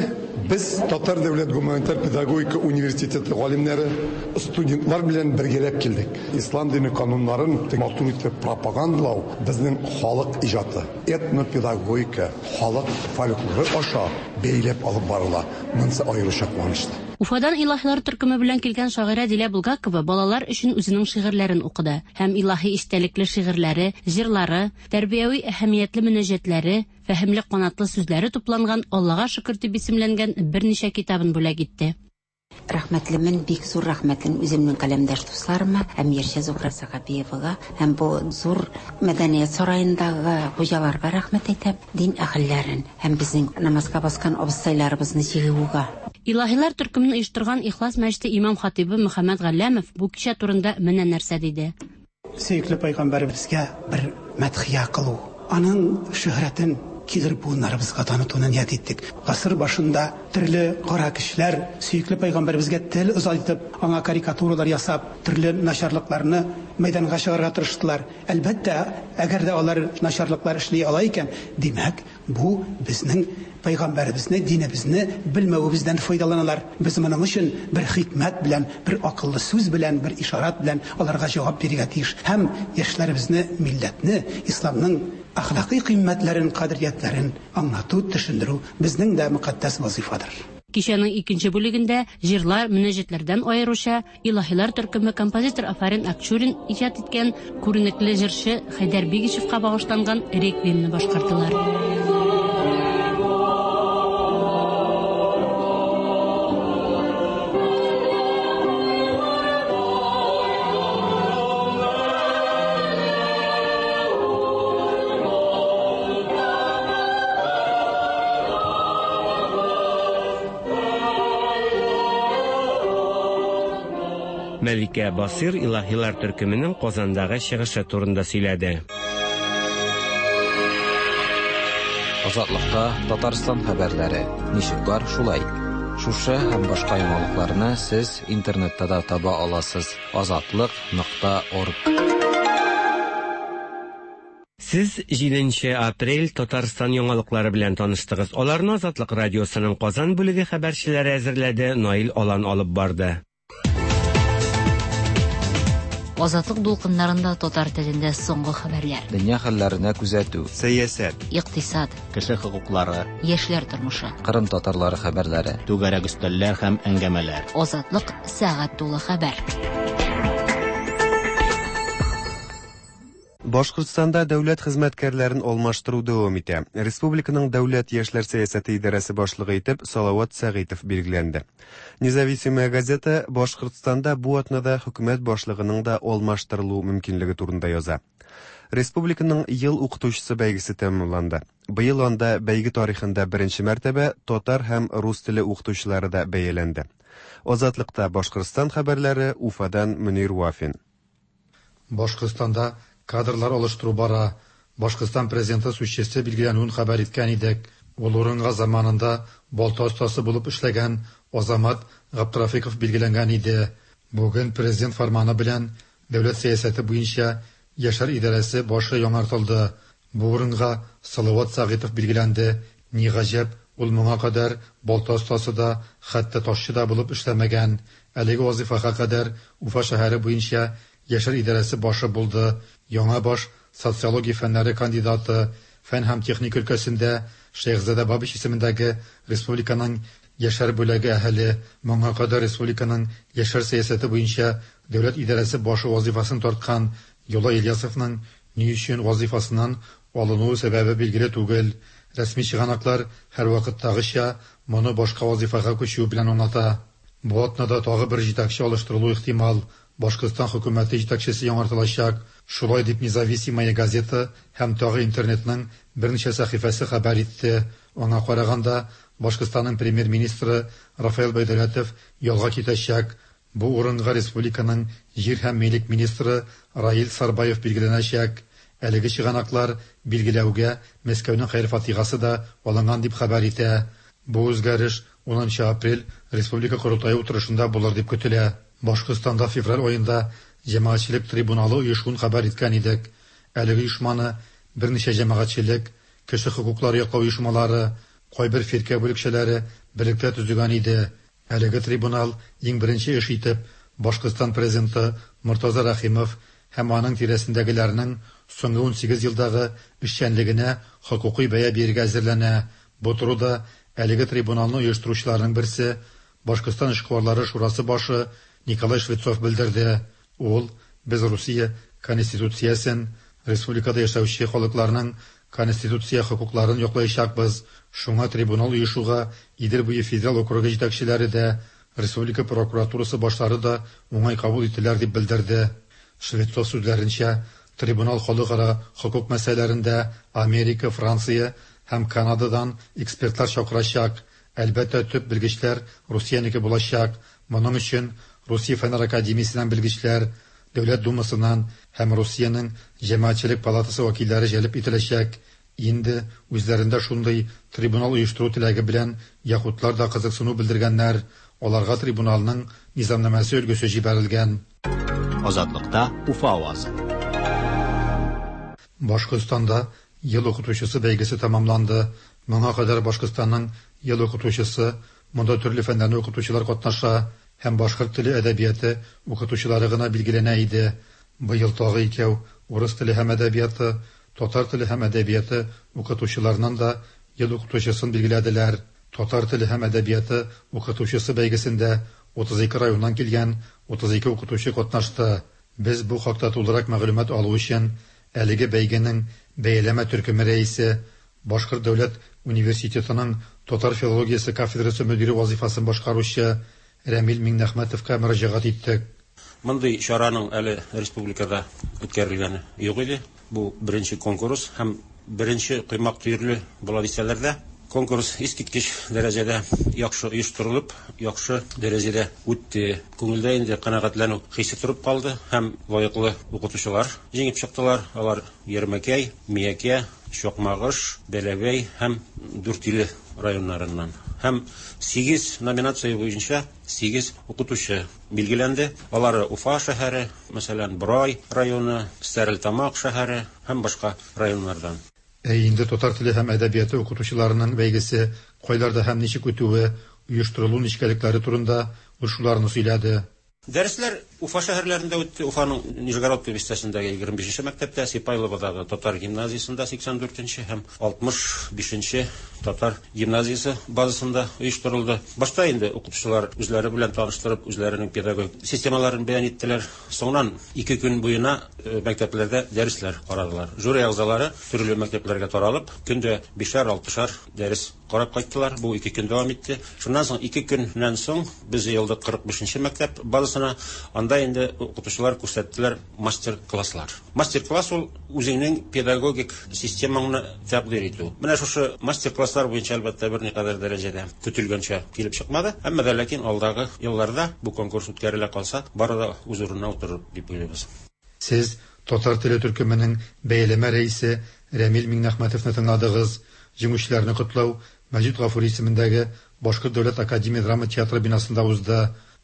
без Татар дәүләт гуманитар педагогика университеты галимнәре, студентлар белән бергәләп килдек. Ислам дине кануннарын матур итеп пропагандалау безнең халык иҗаты, этнопедагогика, халык фольклоры аша бәйләп алып барыла. Монысы аеруча куанычлы. Уфадан Илаһилар төркеме белән килгән шагыйрә Дилә Булгакова балалар өчен үзенең шигырьләрен укыды һәм илаһи истәлекле шигырьләре, җырлары, тәрбияви әһәмиятле мөнәҗәтләре, фәһемле канатлы сүзләре тупланган Аллага шөкер дип исемләнгән берничә китабын бүләк итте. Рәхмәтлемен, бик зур рәхмәтлемен үземнең каләмдәш дусларыма һәм җырчы Зухра Сәхәбиевага һәм бу зур мәдәният сараендагы хуҗаларга рәхмәт әйтәм, дин әһелләрен һәм безнең намазга баскан абыстайларыбызны җыюга. Илаһилар төркемен оештырган Ихлас мәчете имам-хатыйбы Мөхәммәт Галләмов бу кичә турында менә нәрсә диде. Сөекле пәйгамбәребезгә бер мәдхия кылу, аның шөһрәтен килер буыннарыбызга танытуны ният иттек. Гасыр башында төрле кара көчләр сөекле пәйгамбәребезгә тел озайтып, аңа карикатуралар ясап, төрле начарлыкларны мәйданга чыгарырга тырыштылар. Әлбәттә, әгәр дә алар начарлыклар эшли ала икән, димәк, бу безнең пәйгамбәребезне, динебезне белмәвебездән файдаланалар. Без моның өчен бер хикмәт белән, бер акыллы сүз белән, бер ишарат белән аларга җавап бирергә тиеш. Һәм яшьләребезне, милләтне, исламның әхлакый кыйммәтләрен, кадериятләрен аңлату, төшендерү безнең дә мөкатдәс вазыйфадыр. Кичәнең икенче бүлегендә җырлар, мөнәҗәтләрдән аеруча Илаһилар төркеме композитор Афарин Акчурин иҗат иткән күренекле җырчы Хәйдәр Бигичевка багышланган реквиемны башкардылар. Мәликә Басыйр Илаһилар төркеменең Казандагы чыгышы турында сөйләде. Азатлыкта Татарстан хәбәрләре. Ничек бар, шулай. Шушы һәм башка яңалыкларны сез интернетта да таба аласыз. Азатлык.орг. Сез 7 апрель Татарстан яңалыклары белән таныштыгыз. Аларны Азатлык радиосының Казан бүлеге хәбәрчеләре әзерләде, Наил Алан алып барды. Азатлык дулкыннарында татар телендә соңгы хәбәрләр. Дөнья хәлләренә күзәтү. Сәясәт. Икътисад. Кеше хокуклары. Яшьләр тормышы. Кырым татарлары хәбәрләре. Түгәрәк өстәлләр һәм әңгәмәләр. Азатлык сәгать тулы хәбәр. Башкортстанда дәүләт хезмәткәрләрен алмаштыру дәвам итә. Республиканың дәүләт яшьләр сәясәте идарәсе башлыгы итеп Салават Сәгыйтов билгеләнде. Независимая газета Башкортстанда бу атнада хөкүмәт башлыгының да алмаштырылу мөмкинлеге турында яза. Республиканың ел укытучысы бәйгесе тәмамланды. Быел анда бәйге тарихында беренче мәртәбә татар һәм рус теле укытучылары да бәяләнде. Азатлыкта Башкортстан хәбәрләре Уфадан Мөнир Вафин. Башкортстанда кадрлар алыштыру бара. Башкортстан президенты сүзчесе билгеләнүен хәбәр иткән идек. Ул урынга заманында балта остасы булып эшләгән Азамат Габдрафиков билгеләнгән иде. Бүген президент фарманы белән дәүләт сәясәте буенча яшьләр идарәсе башы яңартылды. Бу урынга Салават Сәгыйтов билгеләнде. Ни гаҗәп, Ул моңа кадәр балта остасы да, хәтта ташчы да булып эшләмәгән. Әлеге вазыйфага кадәр Уфа шәһәре буенча Яшьләр идарәсе башы булды. Яңа баш, социология фәннәре кандидаты, фән һәм техника өлкәсендә Шәехзадә Бабич исемендәге республиканың Яшьләр бүләге әһеле, моңа кадәр республиканың яшьләр сәясәте буенча дәүләт идарәсе башы вазыйфасын тарткан Юлай Ильясовның ни өчен вазыйфасыннан алынуы сәбәбе билгеле түгел. Рәсми чыганаклар, һәрвакыттагыча, моны башка вазыйфага күчүе белән аңлата. Бу атнада тагы бер җитәкче алыштырылуы ихтимал, Башкортстан хөкүмәте җитәкчесе яңартылачак. Шулай дип Независимая газета һәм тагы интернетның берничә сәхифәсе хәбәр итте. Аңа караганда, Башкортстанның премьер-министры Рафаил Байдәүләтов ялга китәчәк. Бу урынга республиканың җир һәм милек министры Раил Сарбаев билгеләнәчәк. Әлеге чыганаклар билгеләүгә Мәскәүнең хәер-фатихасы да алынган дип хәбәр итә. Бу үзгәреш унынчы апрель республика корылтае утырышында булыр дип көтелә. Башкортстанда февраль аенда җәмәгатьчелек трибуналы оешуын хәбәр иткән идек. Әлеге оешманы берничә җәмәгатьчелек, кеше хокуклары яклау оешмалары, кайбер фиркә бүлекчәләре берлектә төзегән иде. Әлеге трибунал иң беренче эш итеп Башкортстан президенты Мортаза Рәхимов һәм аның тирәсендәгеләрнең соңгы 18 елдагы эшчәнлегенә хокукый бәя бирергә әзерләнә. Бу турыда әлеге трибуналны оештыручыларның берсе, Башкортстан эшкуарлары шурасы башы Николай Швецов белдерде. Ул, Без Русия Конституциясен, республикада яшәүче халыкларның конституция хокукларын яклаячакбыз, шуңа трибунал оешуга Идел буе федераль округы җитәкчеләре дә, республика прокуратурасы башлары да уңай кабул иттеләр, дип белдерде. Швецов сүзләренчә, трибунал халыкара хокук мәсьәләләрендә Америка, Франция һәм Канададан экспертлар чакырачак. Әлбәттә, төп белгечләр Русиянеке булачак. Моның өчен Русия Фәннәр академиясеннән белгечләр, Дәүләт Думасыннан һәм Русиянең Җәмәгатьчелек палатасы вәкилләре җәлеп ителәчәк. Инде үзләрендә шундый трибунал оештыру теләге белән якутлар да кызыксыну белдергәннәр, аларга трибуналның низамнамәсе өлгесе җибәрелгән. Азатлыкта Уфа авазы. Башкортстанда Ел укытучысы бәйгесе тәмамланды. Моңа кадәр Башкортстанның Ел укытучысы, монда төрле фәннәрне укытучылар катнаша, һәм башкорт теле әдәбияты укытучылары гына билгеләнә иде. Быел тагы икәү, урыс теле һәм әдәбияты, татар теле һәм әдәбияты укытучыларыннан да Ел укытучысын билгеләделәр. Татар теле һәм әдәбияты укытучысы бәйгесендә 32 районнан килгән 32 укытучы катнашты. Без бу хакта тулырак мәгълүмат алу өчен әлеге бәйгенең бәяләмә төркеме рәисе, Башкорт дәүләт университетының татар филологиясе кафедрасы мөдире вазыйфасын башкаручы Рәмил Миңнәхмәтовка мөрәҗәгать иттек. Мондый чараның әле республикада үткәрелгәне юк иде. Бу беренче конкурс һәм беренче коймак төерле була дисәләр дә, конкурс искиткеч дәрәҗәдә яхшы оештырылып, яхшы дәрәҗәдә үтте. Күңелдә инде канәгатьләнү хисе торып калды һәм лаеклы укытучылар җиңеп чыктылар. Алар Ярмәкәй, Миякә, Чакмагыш, Бәләбәй һәм Дүртөйле районнарыннан. Һәм сигез номинация буенча сигез укытучы билгеләнде. Алары Уфа шәһәре, мәсәлән, Борай районы, Стәрлетамак шәһәре һәм башка районнардан. Ә инде татар теле һәм әдәбияты укытучыларының бәйгесе кайларда һәм ничек үтүе, оештырылу нечкәлекләре турында ул шуларны сөйләде. Дәресләр Уфа шәһәрләрендә үтте. Уфаның Нижегородка бистәсендәге 25 нче мәктәптә, Сипайловодагы татар гимназиясендә 84 нче һәм 65 нче татар гимназиясе базасында оештырылды. Башта инде укытучылар үзләре белән таныштырып, үзләренең педагогик системаларын бәян иттеләр. Соңыннан ике көн буена э, мәктәпләрдә дәресләр карадылар. Жюри әгъзалары төрле мәктәпләргә таралып, көндә бишәр-алтышар дәрес Карап кайттылар, бу ике көн дәвам итте. Шуннан соң ике көннән соң без җыелдык 45 нче мәктәп базасына. Анда инде укытучылар күрсәттеләр мастер-класслар. Мастер-класс ул үзеңнең педагогик системаңны тәкъдир итү. Менә шушы мастер-класслар буенча, әлбәттә, берникадәр дәрәҗәдә көтелгәнчә килеп чыкмады. Әмма дә ләкин алдагы елларда бу конкурс үткәрелә калса, бары да үз урынына утырыр дип уйлыйбыз. Сез татар теле төркеменең бәяләмә рәисе Рәмил Миңнәхмәтовны тыңладыгыз. Җиңүчеләрне котлау Мәҗит Гафури исемендәге Башкорт дәүләт академия драма театры бинасында узды.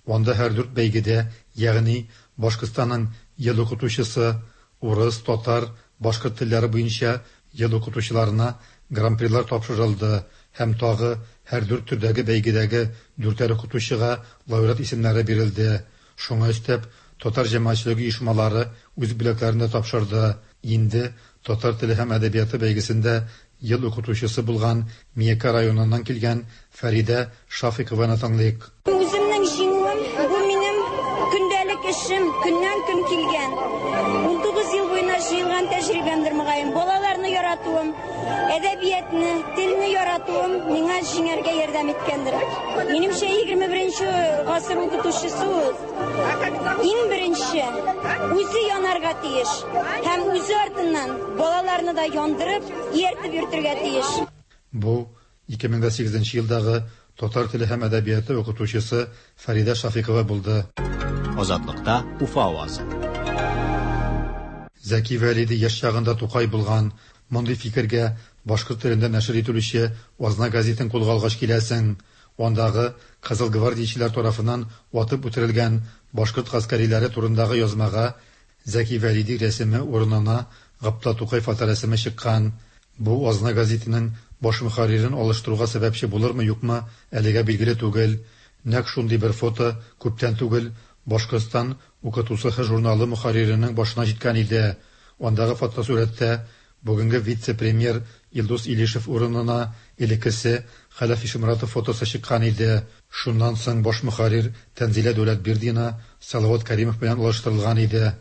Анда һәр дүрт бәйгедә, ягъни Башкортстанның Ел укытучысы, урыс, татар, башкорт телләре буенча ел укытучыларына гран-прилар тапшырылды. Һәм тагы һәр дүрт төрдәге бәйгедәге дүртәр укытучыга лауреат исемнәре бирелде. Шуңа өстәп, татар җәмәгатьчелеге оешмалары үз бүләкләрен дә тапшырды. Инде татар теле һәм әдәбияты бәйгесендә Ел укытучысы булган Миякә районыннан килгән Фәридә Шафыйкованы тыңлыйк. Үземнең җиңүем, бу минем көндәлек эшем, көннән-көн килгән. 19 ел буена җыелган тәҗрибәмдер, мөгаен. Балаларны яратуым, әдәбиятны, телне яратуым миңа җиңәргә ярдәм иткәндер. Минемчә, 21 гасыр укытучысы ул иң беренче үзе янарга тиеш һәм үзе артыннан балаларны да яндырып, ияртеп йөртергә тиеш. Бу, 2008 нче елдагы татар теле һәм әдәбияты укытучысы Фәридә Шафикова булды. Азатлыкта Уфа авазы. Зәки Вәлиди яшь чагында Тукай булган. Мондый фикергә башкорт телендә нәшер ителүче Азна гәзитен кулга алгач киләсең. Андагы кызыл гвардиячеләр тарафыннан атып үтерелгән башкорт гаскәриләре турындагы язмага Зәки Вәлиди рәсеме урынына Габдулла Тукай фоторәсеме чыккан. Бу Азна гәзитенең баш мөхәррирен алыштыруга сәбәпче булырмы-юкмы, әлегә билгеле түгел. Нәкъ шундый бер фото күптән түгел Башкортстан укытусыһы журналы мөхәрриренең башына җиткән иде. Андагы фотосурәттә бүгенге вице-премьер Илдус Илишев урынына элеккесе Хәләф Ишеморатов фотосы чыккан иде. Шуннан соң баш мөхәррир Тәнзилә Дәүләтбирдина Салават Кәримов белән алыштырылган иде.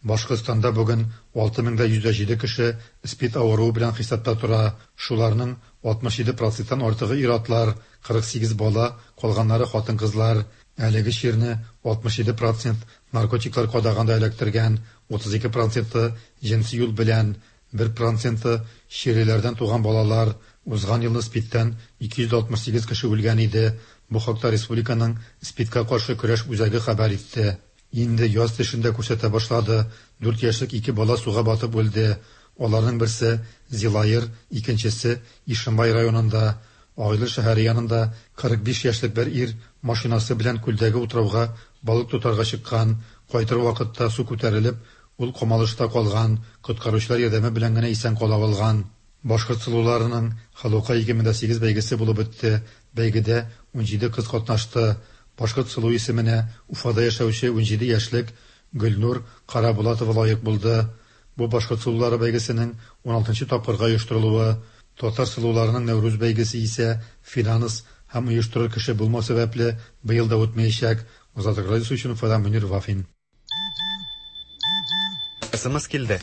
Башкортстанда бүген 6107 кеше СПИД авыруы белән хисапта тора. Шуларның 67 проценттан артыгы ир-атлар, 48 бала, калганнары хатын-кызлар. Әлеге чирне 67 процент наркотиклар кадаганда эләктергән, 32 проценты җенси юл белән, бер проценты чирлеләрдән туган балалар. Узган елны СПИДтән 268 кеше үлгән иде. Бу хакта республиканың СПИДка каршы көрәш үзәге хәбәр итте. Инде яз тешен дә күрсәтә башлады, дүрт яшьлек ике бала суга батып үлде. Аларның берсе, Зилаер, икенчесе, Ишембай районында. Агыйдел шәһәре янында 45 яшьлек бер ир машинасы белән күлдәге утрауга балык тотарга чыккан. Кайтыр вакытта су күтәрелеп, ул камалышта калган, коткаручылар ярдәме белән генә исән кала алган. Башкорт сылуларының Халука 2008 бәйгесе булып үтте. Бәйгедә 17 кыз катнашты. Башкорт сылуы исеменә Уфада яшәүче 17 яшьлек Гөлнур Карабулатова лаек булды. Бу Башкорт сылулары бәйгесенең уналтынчы тапкырга оештырылуы. Татар сылуларының Нәүрүз бәйгесе исә финанс һәм оештырыр кеше булмау сәбәпле быел да үтмәячәк. Азатлык радиосы өчен Уфадан Мөнир Вафин. СМС килде.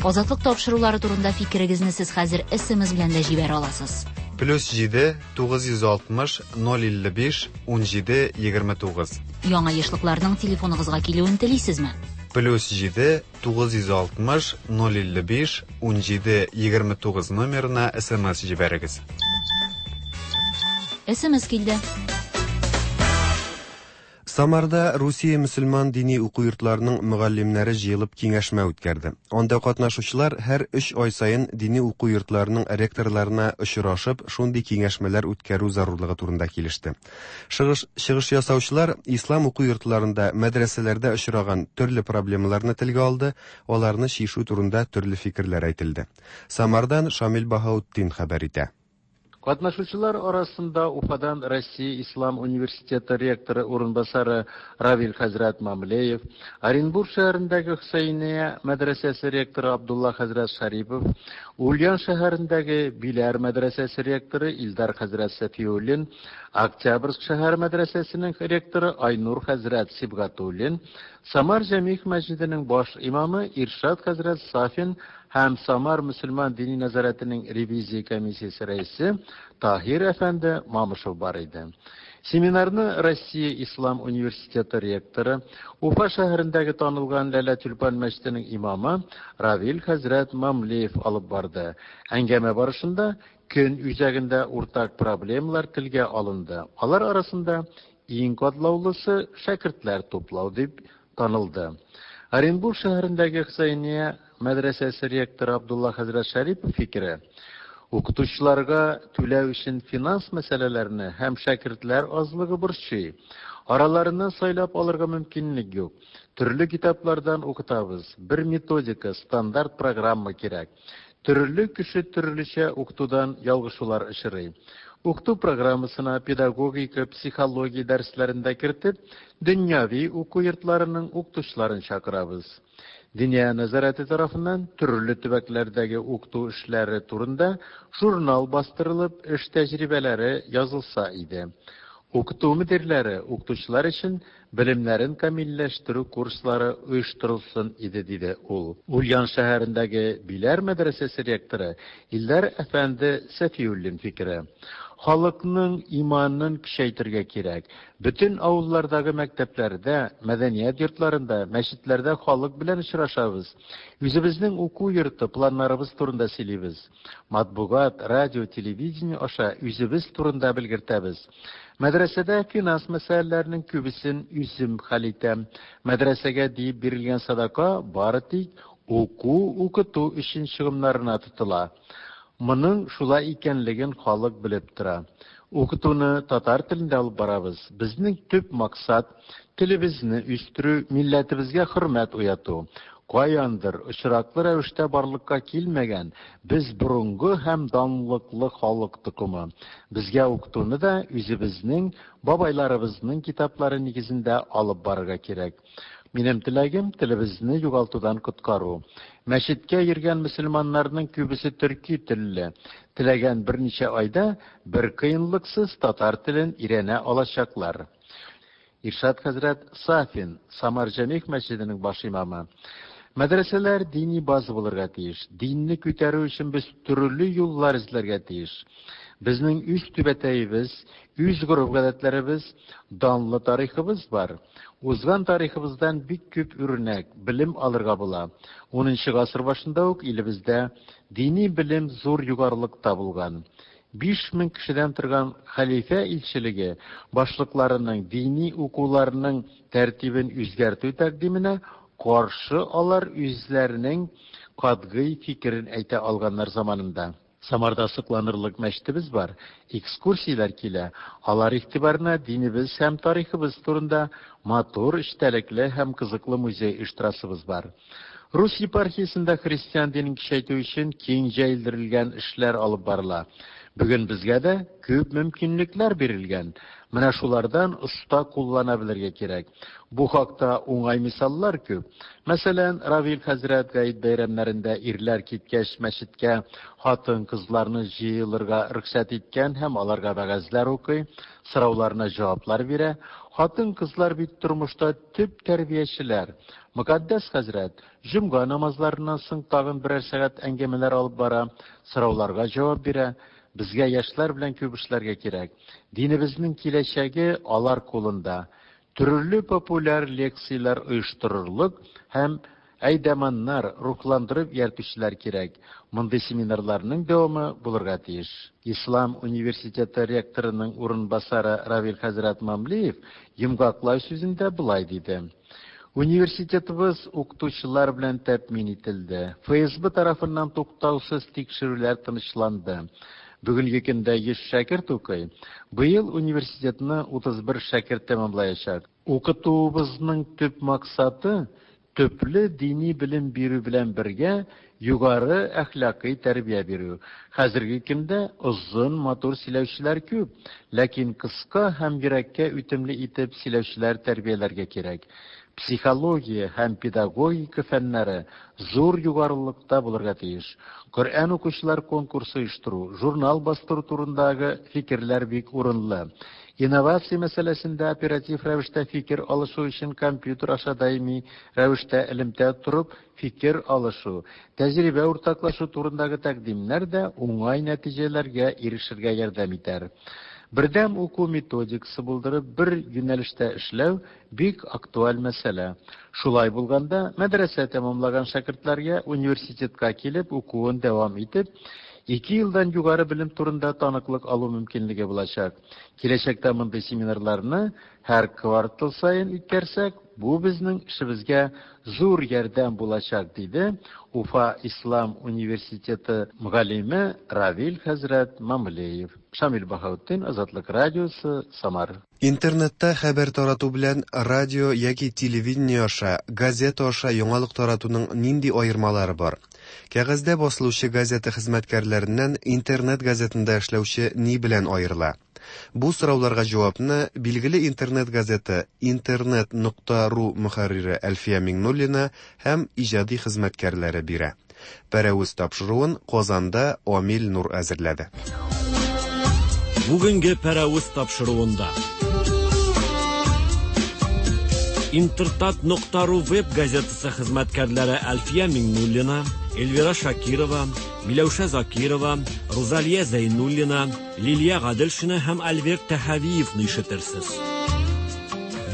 Азатлык тапшырулары турында фикерегезне сез хәзер СМС белән дә җибәрә аласыз. Плюс 7 960 055 17 29. Яңа ешлыкларның телефоныгызга килүен телисезме? Плюс 7 960 055 17 29 номерына СМС җибәрегез. СМС килде. Самарда Русия мөселман дини уку йортларының мөгаллимнәре җыелып киңәшмә үткәрде. Анда катнашучылар һәр өч ай саен дини уку йортларының ректорларына очрашып, шундый киңәшмәләр үткәрү зарурлыгы турында килеште. Чыгыш, чыгыш ясаучылар ислам уку йортларында, мәдрәсәләрдә очраган төрле проблемаларны телгә алды, аларны чишү турында төрле фикерләр әйтелде. Самардан Шамил Баһаутдин хәбәр итә. Катнашучылар арасында Уфадан Россия Ислам университеты ректоры урынбасары Равил хәзрәт Мамлеев, Оренбург шәһәрендәге Хөсәения мәдрәсәсе ректоры Абдулла хәзрәт Шарипов, Ульян шәһәрендәге Биләр мәдрәсәсе ректоры Илдар хәзрәт Сәфиуллин, Октябрьск шәһәр мәдрәсәсенең ректоры Айнур хәзрәт Сибгатуллин, Самар Җәмигъ мәсҗиденең баш имамы Иршат хәзрәт Сафин һәм Самар мөселман дини нәзарәтенең ревизия комиссиясе рәисе Таһир әфәнде Мамышев бар иде. Семинарны Россия Ислам университеты ректоры, Уфа шәһәрендәге танылган Ләлә Тюльпан мәчетенең имамы Равил хәзрәт Мамлеев алып барды. Әңгәмә барышында көн үзәгендә уртак проблемалар телгә алынды. Алар арасында иң катлаулысы шәкертләр туплау дип танылды. Оренбург шәһәрендәге Хөсәения мәдрәсәсе ректоры Абдулла хәзрәт Шәрипов фикере, укытучыларга түләү өчен финанс мәсьәләләрне һәм шәкертләр азлыгы борчый. Араларыннан сайлап алырга мөмкинлек юк. Төрле китаплардан укытабыз. Бер методика, стандарт программа кирәк. Төрле кеше төрлечә укытудан ялгышулар очрый. Укыту программасына педагогика, психология дәресләрен дә кертеп, дөньяви уку йортларының укытучыларын чакырабыз. Диния нәзарәте тарафыннан төрле төбәкләрдәге укыту эшләре турында журнал бастырылып, эш тәҗрибәләре язылса иде. Укыту мөдирләре, укытучылар өчен белемнәрен камилләштерү курслары оештырылсын иде, диде ул. Ульян шәһәрендәге Биләр мәдрәсәсе ректоры Илдар әфәнде Сәфиуллин фикере. Халыкның иманын көчәйтергә кирәк. Бөтен авыллардагы мәктәпләрдә, мәдәният йортларында, мәчетләрдә халык белән очрашабыз. Үзебезнең уку йорты планнарыбыз турында сөйлибез. Матбугат, радио, телевидение аша үзебез турында белгертәбез. Мәдрәсәдә финанс мәсьәләләренең күбесен үзем хәл итәм. Мәдрәсәгә диеп бирелгән садака бары тик уку-укыту өчен чыгымнарына тотыла. Моның шулай икәнлеген халык белеп тора. Укытуны татар телендә алып барабыз. Безнең төп максат, телебезне үстерү, милләтебезгә хөрмәт уяту. Каяндыр, очраклы рәвештә барлыкка килмәгән, без борынгы һәм данлыклы халык токымы. Безгә укытуны да үзебезнең бабайларыбызның китаплары нигезендә алып барырга кирәк. Минем теләгем, телебезне югалтудан коткару. Мәчеткә йөргән мөселманнарның күбесе төрки телле. Теләгән берничә айда бер кыенлыксыз татар телен өйрәнә алачаклар. Иршат хәзрәт Сафин, Самар Җәмигъ мәчетенең баш имамы. Мәдрәсәләр дини база булырга тиеш. Динне күтәрү өчен без төрле юллар эзләргә тиеш. Безнең үз түбәтәебез, үз гореф-гадәтләребез, данлы тарихыбыз бар. Узган тарихыбыздан бик күп үрнәк, белем алырга була. Унынчы гасыр башында ук илебездә дини белем зур югарылыкта булган. 5000 кешедән торган хәлифә илчелеге башлыкларының дини укуларның тәртибен үзгәртү тәкъдименә каршы алар үзләренең катгый фикерен әйтә алганнар заманында. Самарда сокланырлык мәчетебез бар, экскурсияләр килә, алар игътибарына динебез һәм тарихыбыз турында матур, эчтәлекле һәм кызыклы музей оештырасыбыз бар. Рус епархиясендә христиан динен көчәйтү өчен киң җәелдерелгән эшләр алып барыла. Бүген безгә дә күп мөмкинлекләр бирелгән. Менә шулардан оста куллана белергә кирәк. Бу хакта уңай мисаллар күп. Мәсәлән, Равил хәзрәт гает бәйрәмнәрендә ирләр киткәч мәчеткә хатын-кызларны җыелырга рөхсәт иткән һәм аларга вәгазьләр укый, сорауларына җаваплар бирә. Хатын-кызлар бит тормышта төп тәрбиячеләр. Мөкатдәс хәзрәт җомга намазларыннан соң тагын берәр сәгать әңгәмәләр алып бара, сорауларга җавап бирә. Безгә яшьләр белән күп эшләргә кирәк. Динебезнең киләчәге алар кулында. Төрле популяр лекцияләр оештырырлык һәм әйдаманнар, рухландырып ияртүчеләр кирәк. Мондый семинарларның дәвамы булырга тиеш. Ислам университеты ректорының урынбасары Равил хәзрәт Мамлеев йомгаклау сүзендә болай диде. Университетыбыз укытучылар белән тәэмин ителде. ФСБ тарафыннан туктаусыз тикшерүләр тынычланды. Бүгенге көндә 100 шәкерт укый. Быел университетны 31 шәкерт тәмамлаячак. Укытуыбызның төп максаты, төпле дини белем бирү белән бергә, югары әхлакый тәрбия бирү. Хәзерге көндә озын, матур сөйләүчеләр күп, ләкин кыска һәм йөрәккә үтемле итеп сөйләүчеләр тәрбияләргә кирәк. Психология һәм педагогика фәннәре зур югарылыкта булырга тиеш. Коръән укучылар конкурсы оештыру, журнал бастыру турындагы фикерләр бик урынлы. Инновация мәсьәләсендә оператив рәвештә фикер алышу өчен компьютер аша даими рәвештә элемтә торып фикер алышу, тәҗрибә уртаклашу турындагы тәкъдимнәр дә уңай нәтиҗәләргә ирешергә ярдәм итәр. Бердәм уку методикасы булдырып, бер юнәлештә эшләү бик актуаль мәсьәлә. Шулай булганда, мәдрәсә тәмамлаган шәкертләргә университетка килеп укуын дәвам итеп, ике елдан югары белем турында таныклык алу мөмкинлеге булачак. Киләчәктә мондый семинарларны һәр квартал саен үткәрсәк, бу безнең эшебезгә зур ярдәм булачак, диде Уфа ислам университеты мөгаллиме Равил хәзрәт Мамлеев. Шамил Баһаутдин, Азатлык радиосы, Самар. Интернетта хәбәр тарату белән радио яки телевидение аша, газета аша яңалык таратуның нинди аермалары бар? Кәгазьдә басылучы газета хезмәткәрләреннән интернет газетында эшләүче ни белән аерыла? Бу сорауларга җавапны билгеле интернет газета Интернет нокта ру мөхәррире Әлфия Миңнуллина һәм иҗади хезмәткәрләре бирә. Пәрәвез тапшыруын Казанда Амил Нур әзерләде. Бүгенге Пәрәвез тапшыруында Интертат нокта ру веб газетасы хезмәткәрләре Әлфия Миңнуллина, Эльвира Шакирова, Миләүшә Закирова, Рузалия Зәйнуллина, Лилия Гаделшина һәм Альберт Тәһавиевны ишетерсез.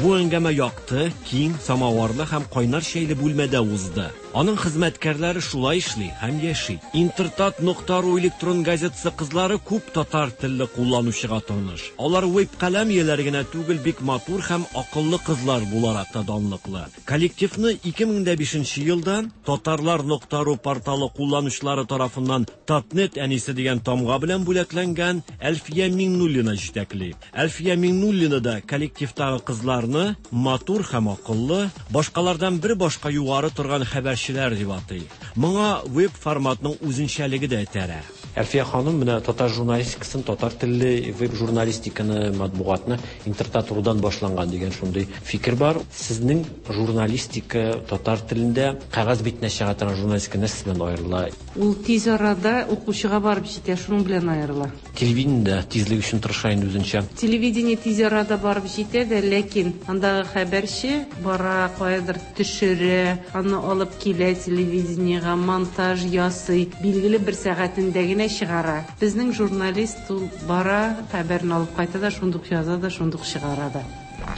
Бу әңгәмә якты, киң, самаварлы һәм кайнар чәйле бүлмәдә узды. Аның хезмәткәрләре шулай эшли һәм яши. Интертат нокта ру электрон газетасы кызлары күп татар телле кулланучыга таныш. Алар веб-каләм ияләре генә түгел, бик матур һәм акыллы кызлар буларак та данлыклы. Коллективны 2005 нче елда Татарлар нокта ру порталы кулланучылары тарафыннан Татнет әнисе дигән тамга белән бүләкләнгән Әлфия Миңнуллина җитәкли. Әлфия Миңнуллина да коллективтагы кызларны матур һәм акыллы, башкалардан бер башка югары торган хәбәрчеләр дип атый. Моңа веб-форматның үзенчәлеге дә этәрә. Әлфия ханым, менә татар журналистикасын, татар телле веб-журналистиканы, матбугатны Интертат рудан башланган дигән шундый фикер бар. Сезнең журналистика татар телендә кәгазь битенә чыга торган журналистика нәрсә белән аерыла? Ул тиз арада укучыга барып җитә, шуның белән аерыла. Телевидение дә тизлек өчен тырыша инде үзенчә. Телевидение тиз арада барып җитә дә, ләкин андагы хәбәрче бара, каядыр төшерә, аны алып килә телевидениегә, монтаж ясый, билгеле бер сәгатендә генә чыгара. Безнең журналист ул бара, хәбәрне алып кайта да, шундук яза да, шундук чыгара да.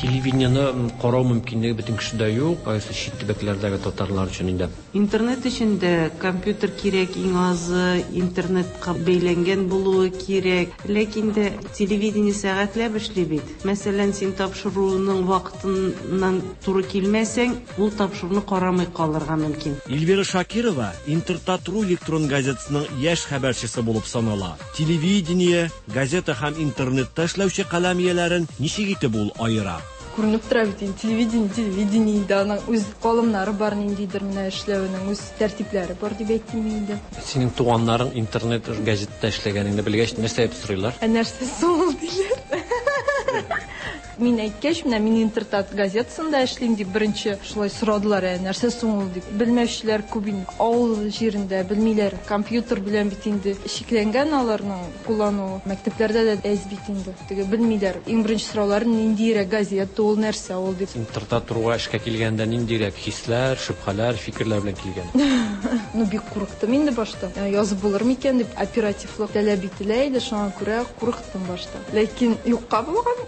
Телевидениене карау мөмкинлеге бөтен кешедә юк, аеруча чит төбәкләрдәге татарлар өчен инде. Интернет өчен дә компьютер кирәк, иң азы интернетка бәйләнгән булуы кирәк. Ләкин дә телевидение сәгатьләп эшли бит. Мәсәлән, син тапшыруның вакытыннан туры килмәсәң, ул тапшыруны карамый калырга мөмкин. Эльвира Шакирова Интертат.ру электрон газетасының яшь хәбәрчесе булып санала. Телевидение, газета һәм интернетта эшләүче каләм ияләрен ничек итеп ул аера? Күренеп тора бит инде, телевидение, телевидение инде, аның үз калымнары бар ниндидер менә эшләвенең үз тәртипләре бар дип әйтим мин инде. Синең туганнарың интернет газетта эшләгәнеңне белгәч, нәрсә дип сорыйлар? Ә нәрсә соң ул диләр. Мин әйткәч, менә мин Интертат газетасында эшлим дип беренче шулай сорадылар, ә нәрсә соң ул дип. Белмәүчеләр күп инде. Авыл җирендә белмиләр. Компьютер белән бит инде чикләнгән аларның куллануы. Мәктәпләрдә дә әз бит инде. Теге белмиләр. Иң беренче сораулары ниндиерәк газета ул, нәрсә ул дип. Интертат руга эшкә килгәндә ниндирәк хисләр, шөбһәләр, фикерләр белән килгән? Ну, бик курыктым инде башта. Язып булыр микән дип, оперативлык таләп ителә иде, шуңа күрә курыктым башта. Ләкин юкка булган.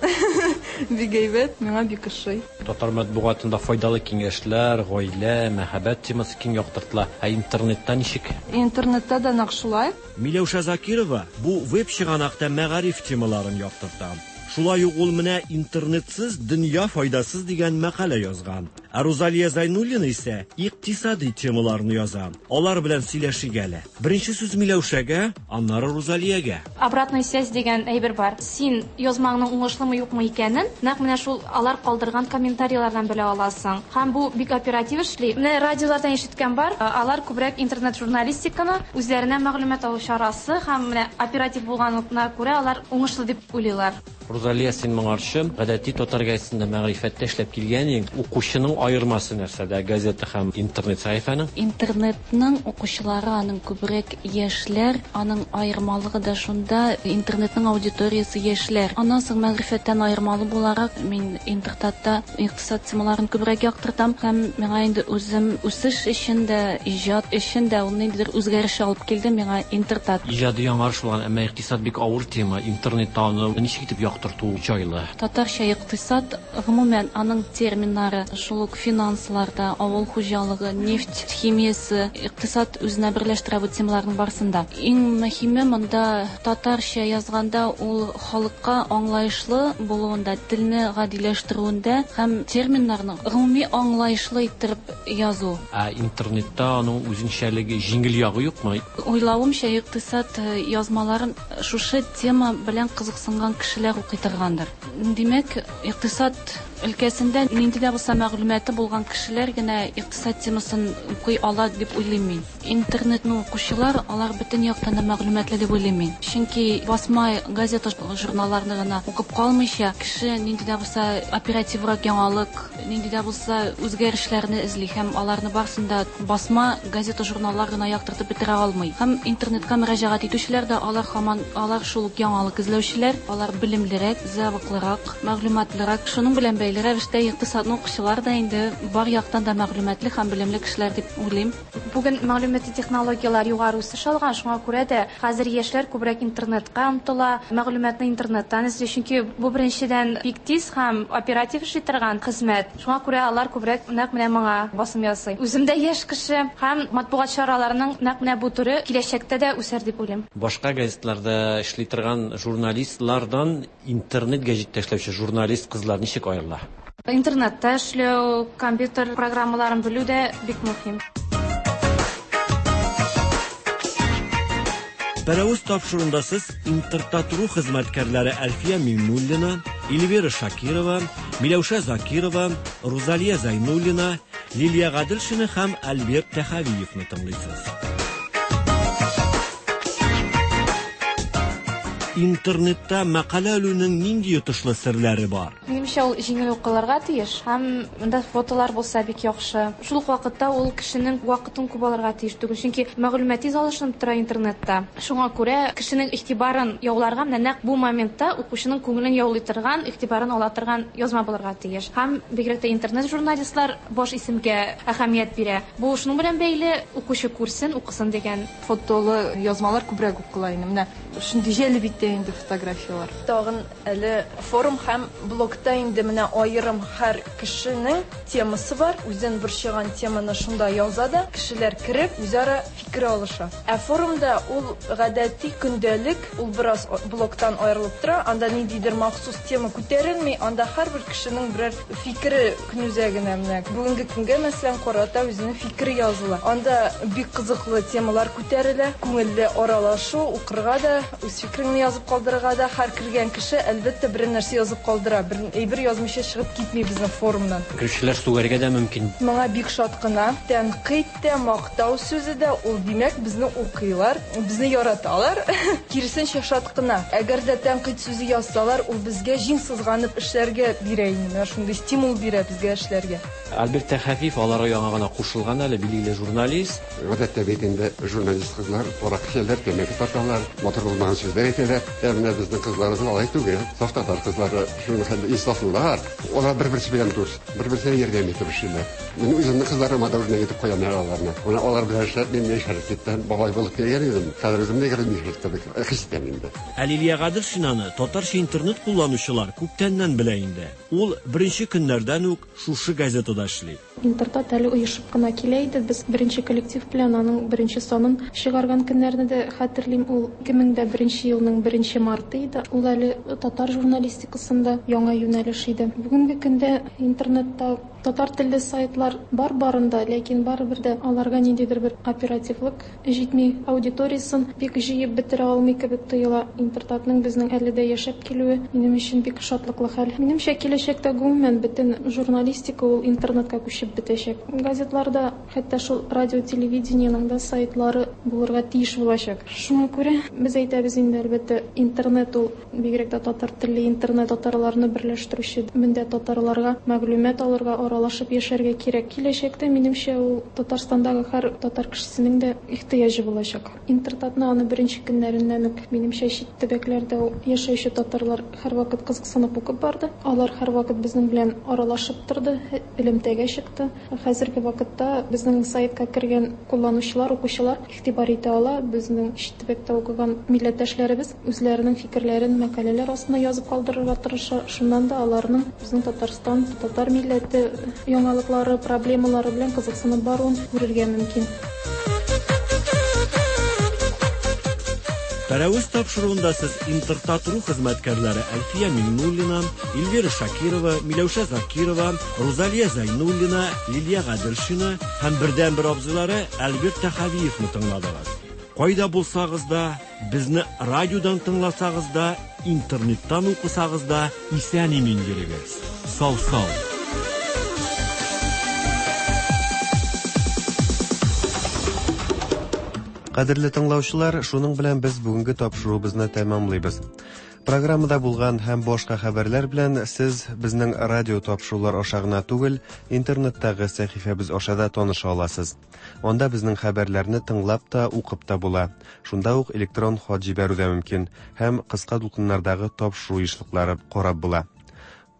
Бик әйбәт, миңа бик ошый. Татар матбугатында файдалы киңәшләр, гаилә, мәхәббәт темасы киң яктыртыла. Ә интернетта ничек? Интернетта да нәкъ шулай. Миләүшә Закирова бу веб-чыганакта мәгариф темаларын яктырта. Шулай ук ул менә Интернетсыз дөнья файдасыз дигән мәкалә язган. Ә Рузалия Зайнуллина исә икътисади темаларны яза. Алар белән сөйләшик әле. Беренче сүз Миләүшәгә, аннары Рузалиягә. Обратная связь дигән әйбер бар. Син язмаңның уңышлымы юкмы икәнен нәкъ менә шул алар калдырган комментарийлардан белә аласың. Һәм бу бик оператив эшли. Менә радиолардан ишеткән бар, алар күбрәк интернет-журналистиканы үзләренә мәгълүмат алу чарасы һәм менә оператив булганлыгына күрә алар уңышлы дип уйлыйлар. Рузалия, син моңарчы гадәти татар газетасында мәгърифәттә эшләп килгән идең. Укучының аермасы нәрсәдә, газета һәм интернет сәхифәнең? Интернетның укучылары аның күбрәк яшьләр, аның аермалыгы да шунда, интернетның аудиториясе яшьләр. Аннан соң мәгърифәттән аермалы буларак, мин Интертатта икътисад темаларын күбрәк яктыртам һәм миңа инде үзем үсеш өчен дә, иҗат өчен дә ул ниндидер үзгәреш алып килде миңа Интертат. Иҗади яңарыш булган, әмма икътисад бик авыр тема, интернетта аны ничек итеп яктырту җайлы? Татарча икътисад, гомумән, аның терминнары, шул ук финанслар да, авыл хуҗалыгы, нефть химиясе, икътисад үзенә берләштерә бу темаларның барысын да. Иң мөһиме монда татарча язганда ул халыкка аңлаешлы булуында, телне гадиләштерүендә һәм терминнарны гомуми аңлаешлы иттереп язу. Ә интернетта аның үзенчәлеге, җиңел ягы юкмы? Уйлавымча, икътисад язмаларын шушы тема белән кызыксынган кешеләр укый торгандыр. Димәк, икътисад өлкәсендә нинди дә булса мәгълүматы булган кешеләр генә икътисад темасын укый ала дип уйлыйм мин. Интернетны укучылар, алар бөтен яктан да мәгълүматлы дип уйлыйм мин. Чөнки басма газета, журналларны гына укып калмыйча, кеше нинди дә булса оперативрак яңалык, нинди дә булса үзгәрешләрне эзли һәм аларны барысын да басма газета, журналлар гына яктыртып бетерә алмый. Һәм интернетка мөрәҗәгать итүчеләр дә алар һаман алар шул ук яңалык эзләүчеләр, алар белемлерәк, зәвыклырак, мәгълүматлырак. Шуның белән бәйле рәвештә икътисадны укучылар да инде бар яктан да мәгълүматлы һәм белемле кешеләр дип уйлыйм. Бүген мәгълүмати технологияләр югары үсеш алган, шуңа күрә дә хәзер яшьләр күбрәк интернетка омтыла, мәгълүматны интернеттан эзли, чөнки бу беренчедән бик тиз һәм оператив эшли торган хезмәт. Шуңа күрә алар күбрәк нәкъ менә моңа басым ясый. Үзем дә яшь кеше һәм матбугат чараларының нәкъ менә бу төре киләчәктә дә үсәр дип уйлыйм. Башка газетларда эшли торган журналистлардан интернет гәҗиттә эшләүче журналист кызлар ничек аерыла? Интернетта эшләү, компьютер программаларын белү дә бик мөһим. Пәрәвез тапшыруында сез Интертат.ру хезмәткәрләре Әлфия Миңнуллина, Эльвира Шакирова, Миләүшә Закирова, Рузалия Зайнуллина, Лилия Гаделшина һәм Альберт Тәхәвиевны тыңлыйсыз. Интернетта мәкалә элүнең нинди йотышлы серләре бар? Минемчә, ул җиңел укылырга тиеш һәм монда фотолар булса бик яхшы. Шул ук вакытта ул кешенең вакытын күп алырга тиеш түгел, чөнки мәгълүмат тиз алышынып тора интернетта. Шуңа күрә кешенең игътибарын яуларга менә нәкъ бу моментта укучының күңелен яулый торган, игътибарын ала торган язма булырга тиеш. Һәм бигрәк тә интернет-журналистлар баш исемгә әһәмият бирә. Бу шуның белән бәйле, укучы күрсен, укысын дигән. Фотолы язмалар күбрәк укыла инде. Менә шундый җәлеп итә инде фотографияләр. Тагын әле форум һәм блогта инде менә аерым һәр кешенең темасы бар. Үзен борчыган теманы шунда яза да, кешеләр кереп, үзара фикер алыша. Ә форумда ул гадәти көндәлек, ул бераз блогтан аерылып тора. Анда ниндидер махсус тема күтәрелми, анда һәрбер кешенең берәр фикере көнүзәгенә менә бүгенге көнгә, мәсәлән, карата үзенең фикере языла. Анда бик кызыклы темалар күтәрелә, күңелле аралашу, укырга да, үз фикереңне язып калдырырга да. Һәр кергән кеше, әлбәттә, берәр нәрсә язып калдыра. Бер әйбер язмыйча чыгып китми безнең форумнан. Керүчеләр сүгәргә дә мөмкин. Моңа бик шат кына. Тәнкыйть тә, мактау сүзе дә, ул, димәк, безне укыйлар, безне яраталар. Киресенчә, шат кына. Әгәр дә тәнкыйть сүзе язсалар, ул безгә җиң сызганып эшләргә бирә инде. Менә шундый стимул бирә безгә эшләргә. Альберт Тәхәфиев аларга яңа гына кушылган әле, билгеле журналист. Гадәттә бит инде журналист кызлар аракы эчәләр, тәмәке тарталар, матур булмаган сүзләр әйтәләр. Ә менә безнең кызларыбыз алай түгел. Саф татар кызлары, шуның хәтле инсафлылар. Алар бер-берсе белән дус, бер-берсенә ярдәм итеп эшлиләр. Мин үземнең кызларыма да үрнәк итеп куям әле аларны. Менә алар белән эшләп мин яшәреп киттем, бабай булып килгән идем. Хәзер үземне 25 кебек хис итәм инде. Ә Лилия Гаделшинаны татарча интернет кулланучылар күптәннән белә инде. Ул беренче көннәрдән үк шушы газетада эшли. Интертат әле оешып кына килә иде. Без беренче коллектив белән аның беренче санын чыгарган көннәрне дә хәтерлим. Ул 2001 елның беренче марты иде. Ул әле татар журналистикасында яңа юнәлеш иде. Бүгенге көндә интернетта татар телле сайтлар бар барын да, ләкин барыбер дә аларга ниндидер бер оперативлык җитми, аудиториясен бик җыеп бетерә алмый кебек тоела. Интертатның безнең әле дә яшәп килүе минем өчен бик шатлыклы хәл. Минемчә, киләчәктә гомумән бөтен журналистика ул интернетка күчеп бетәчәк. Газетларда, хәтта шул радио-телевидениенең дә сайтлары булырга тиеш булачак. Шуңа күрә без әйтәбез инде, әлбәттә, интернет ул, бигрәк тә татар телле интернет татарларны берләштерүче, мендә татарларга мәгълүмат алырга, аралашып яшәргә кирәк. Киләчәктә, минемчә, ул Татарстандагы һәр татар кешесенең дә ихтыяҗы булачак. Интертатны аны беренче көннәреннән үк, минемчә, чит төбәкләрдә яшәүче татарлар һәрвакыт кызыксынып укып барды. Алар һәрвакыт безнең белән аралашып торды, элемтәгә чыкты. Хәзерге вакытта безнең сайтка кергән кулланучылар, укучылар игътибар итә ала, безнең чит төбәктә укыган милләттәшләребез үзләренең фикерләрен мәкаләләр астына язып калдырырга тырыша. Шуннан да аларның безнең Татарстан, татар милләте яңалыклары, проблемалары белән кызыксынып баруын күрергә мөмкин. Пәрәвез тапшыруында сез Интертат.ру хезмәткәрләре Әлфия Миңнуллина, Эльвира Шакирова, Миләүшә Закирова, Рузалия Зайнуллина, Лилия Гаделшина һәм бердәнбер абзыйлары Альберт Тәхәвиевны тыңладыгыз. Кайда булсагыз да, безне радиодан тыңласагыз да, интернеттан укысагыз да, исән-имин йөрегез. Сау-сау. Кадерле тыңлаучылар, шуның белән без бүгенге тапшыруыбызны тәмамлыйбыз. Программада булган һәм башка хәбәрләр белән сез безнең радио тапшырулар аша гына түгел, интернеттагы сәхифәбез аша да таныша аласыз. Анда безнең хәбәрләрне тыңлап та, укып та була. Шунда ук электрон хат җибәрү дә мөмкин һәм кыска дулкыннардагы тапшыру ешлыклары карап була.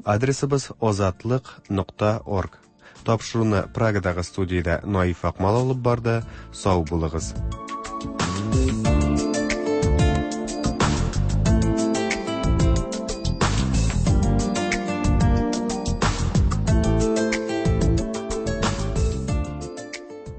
Адресыбыз озатлык.орг. Тапшыруны Прагадагы студиядә Наиф Акмал алып барды. Сау булыгыз.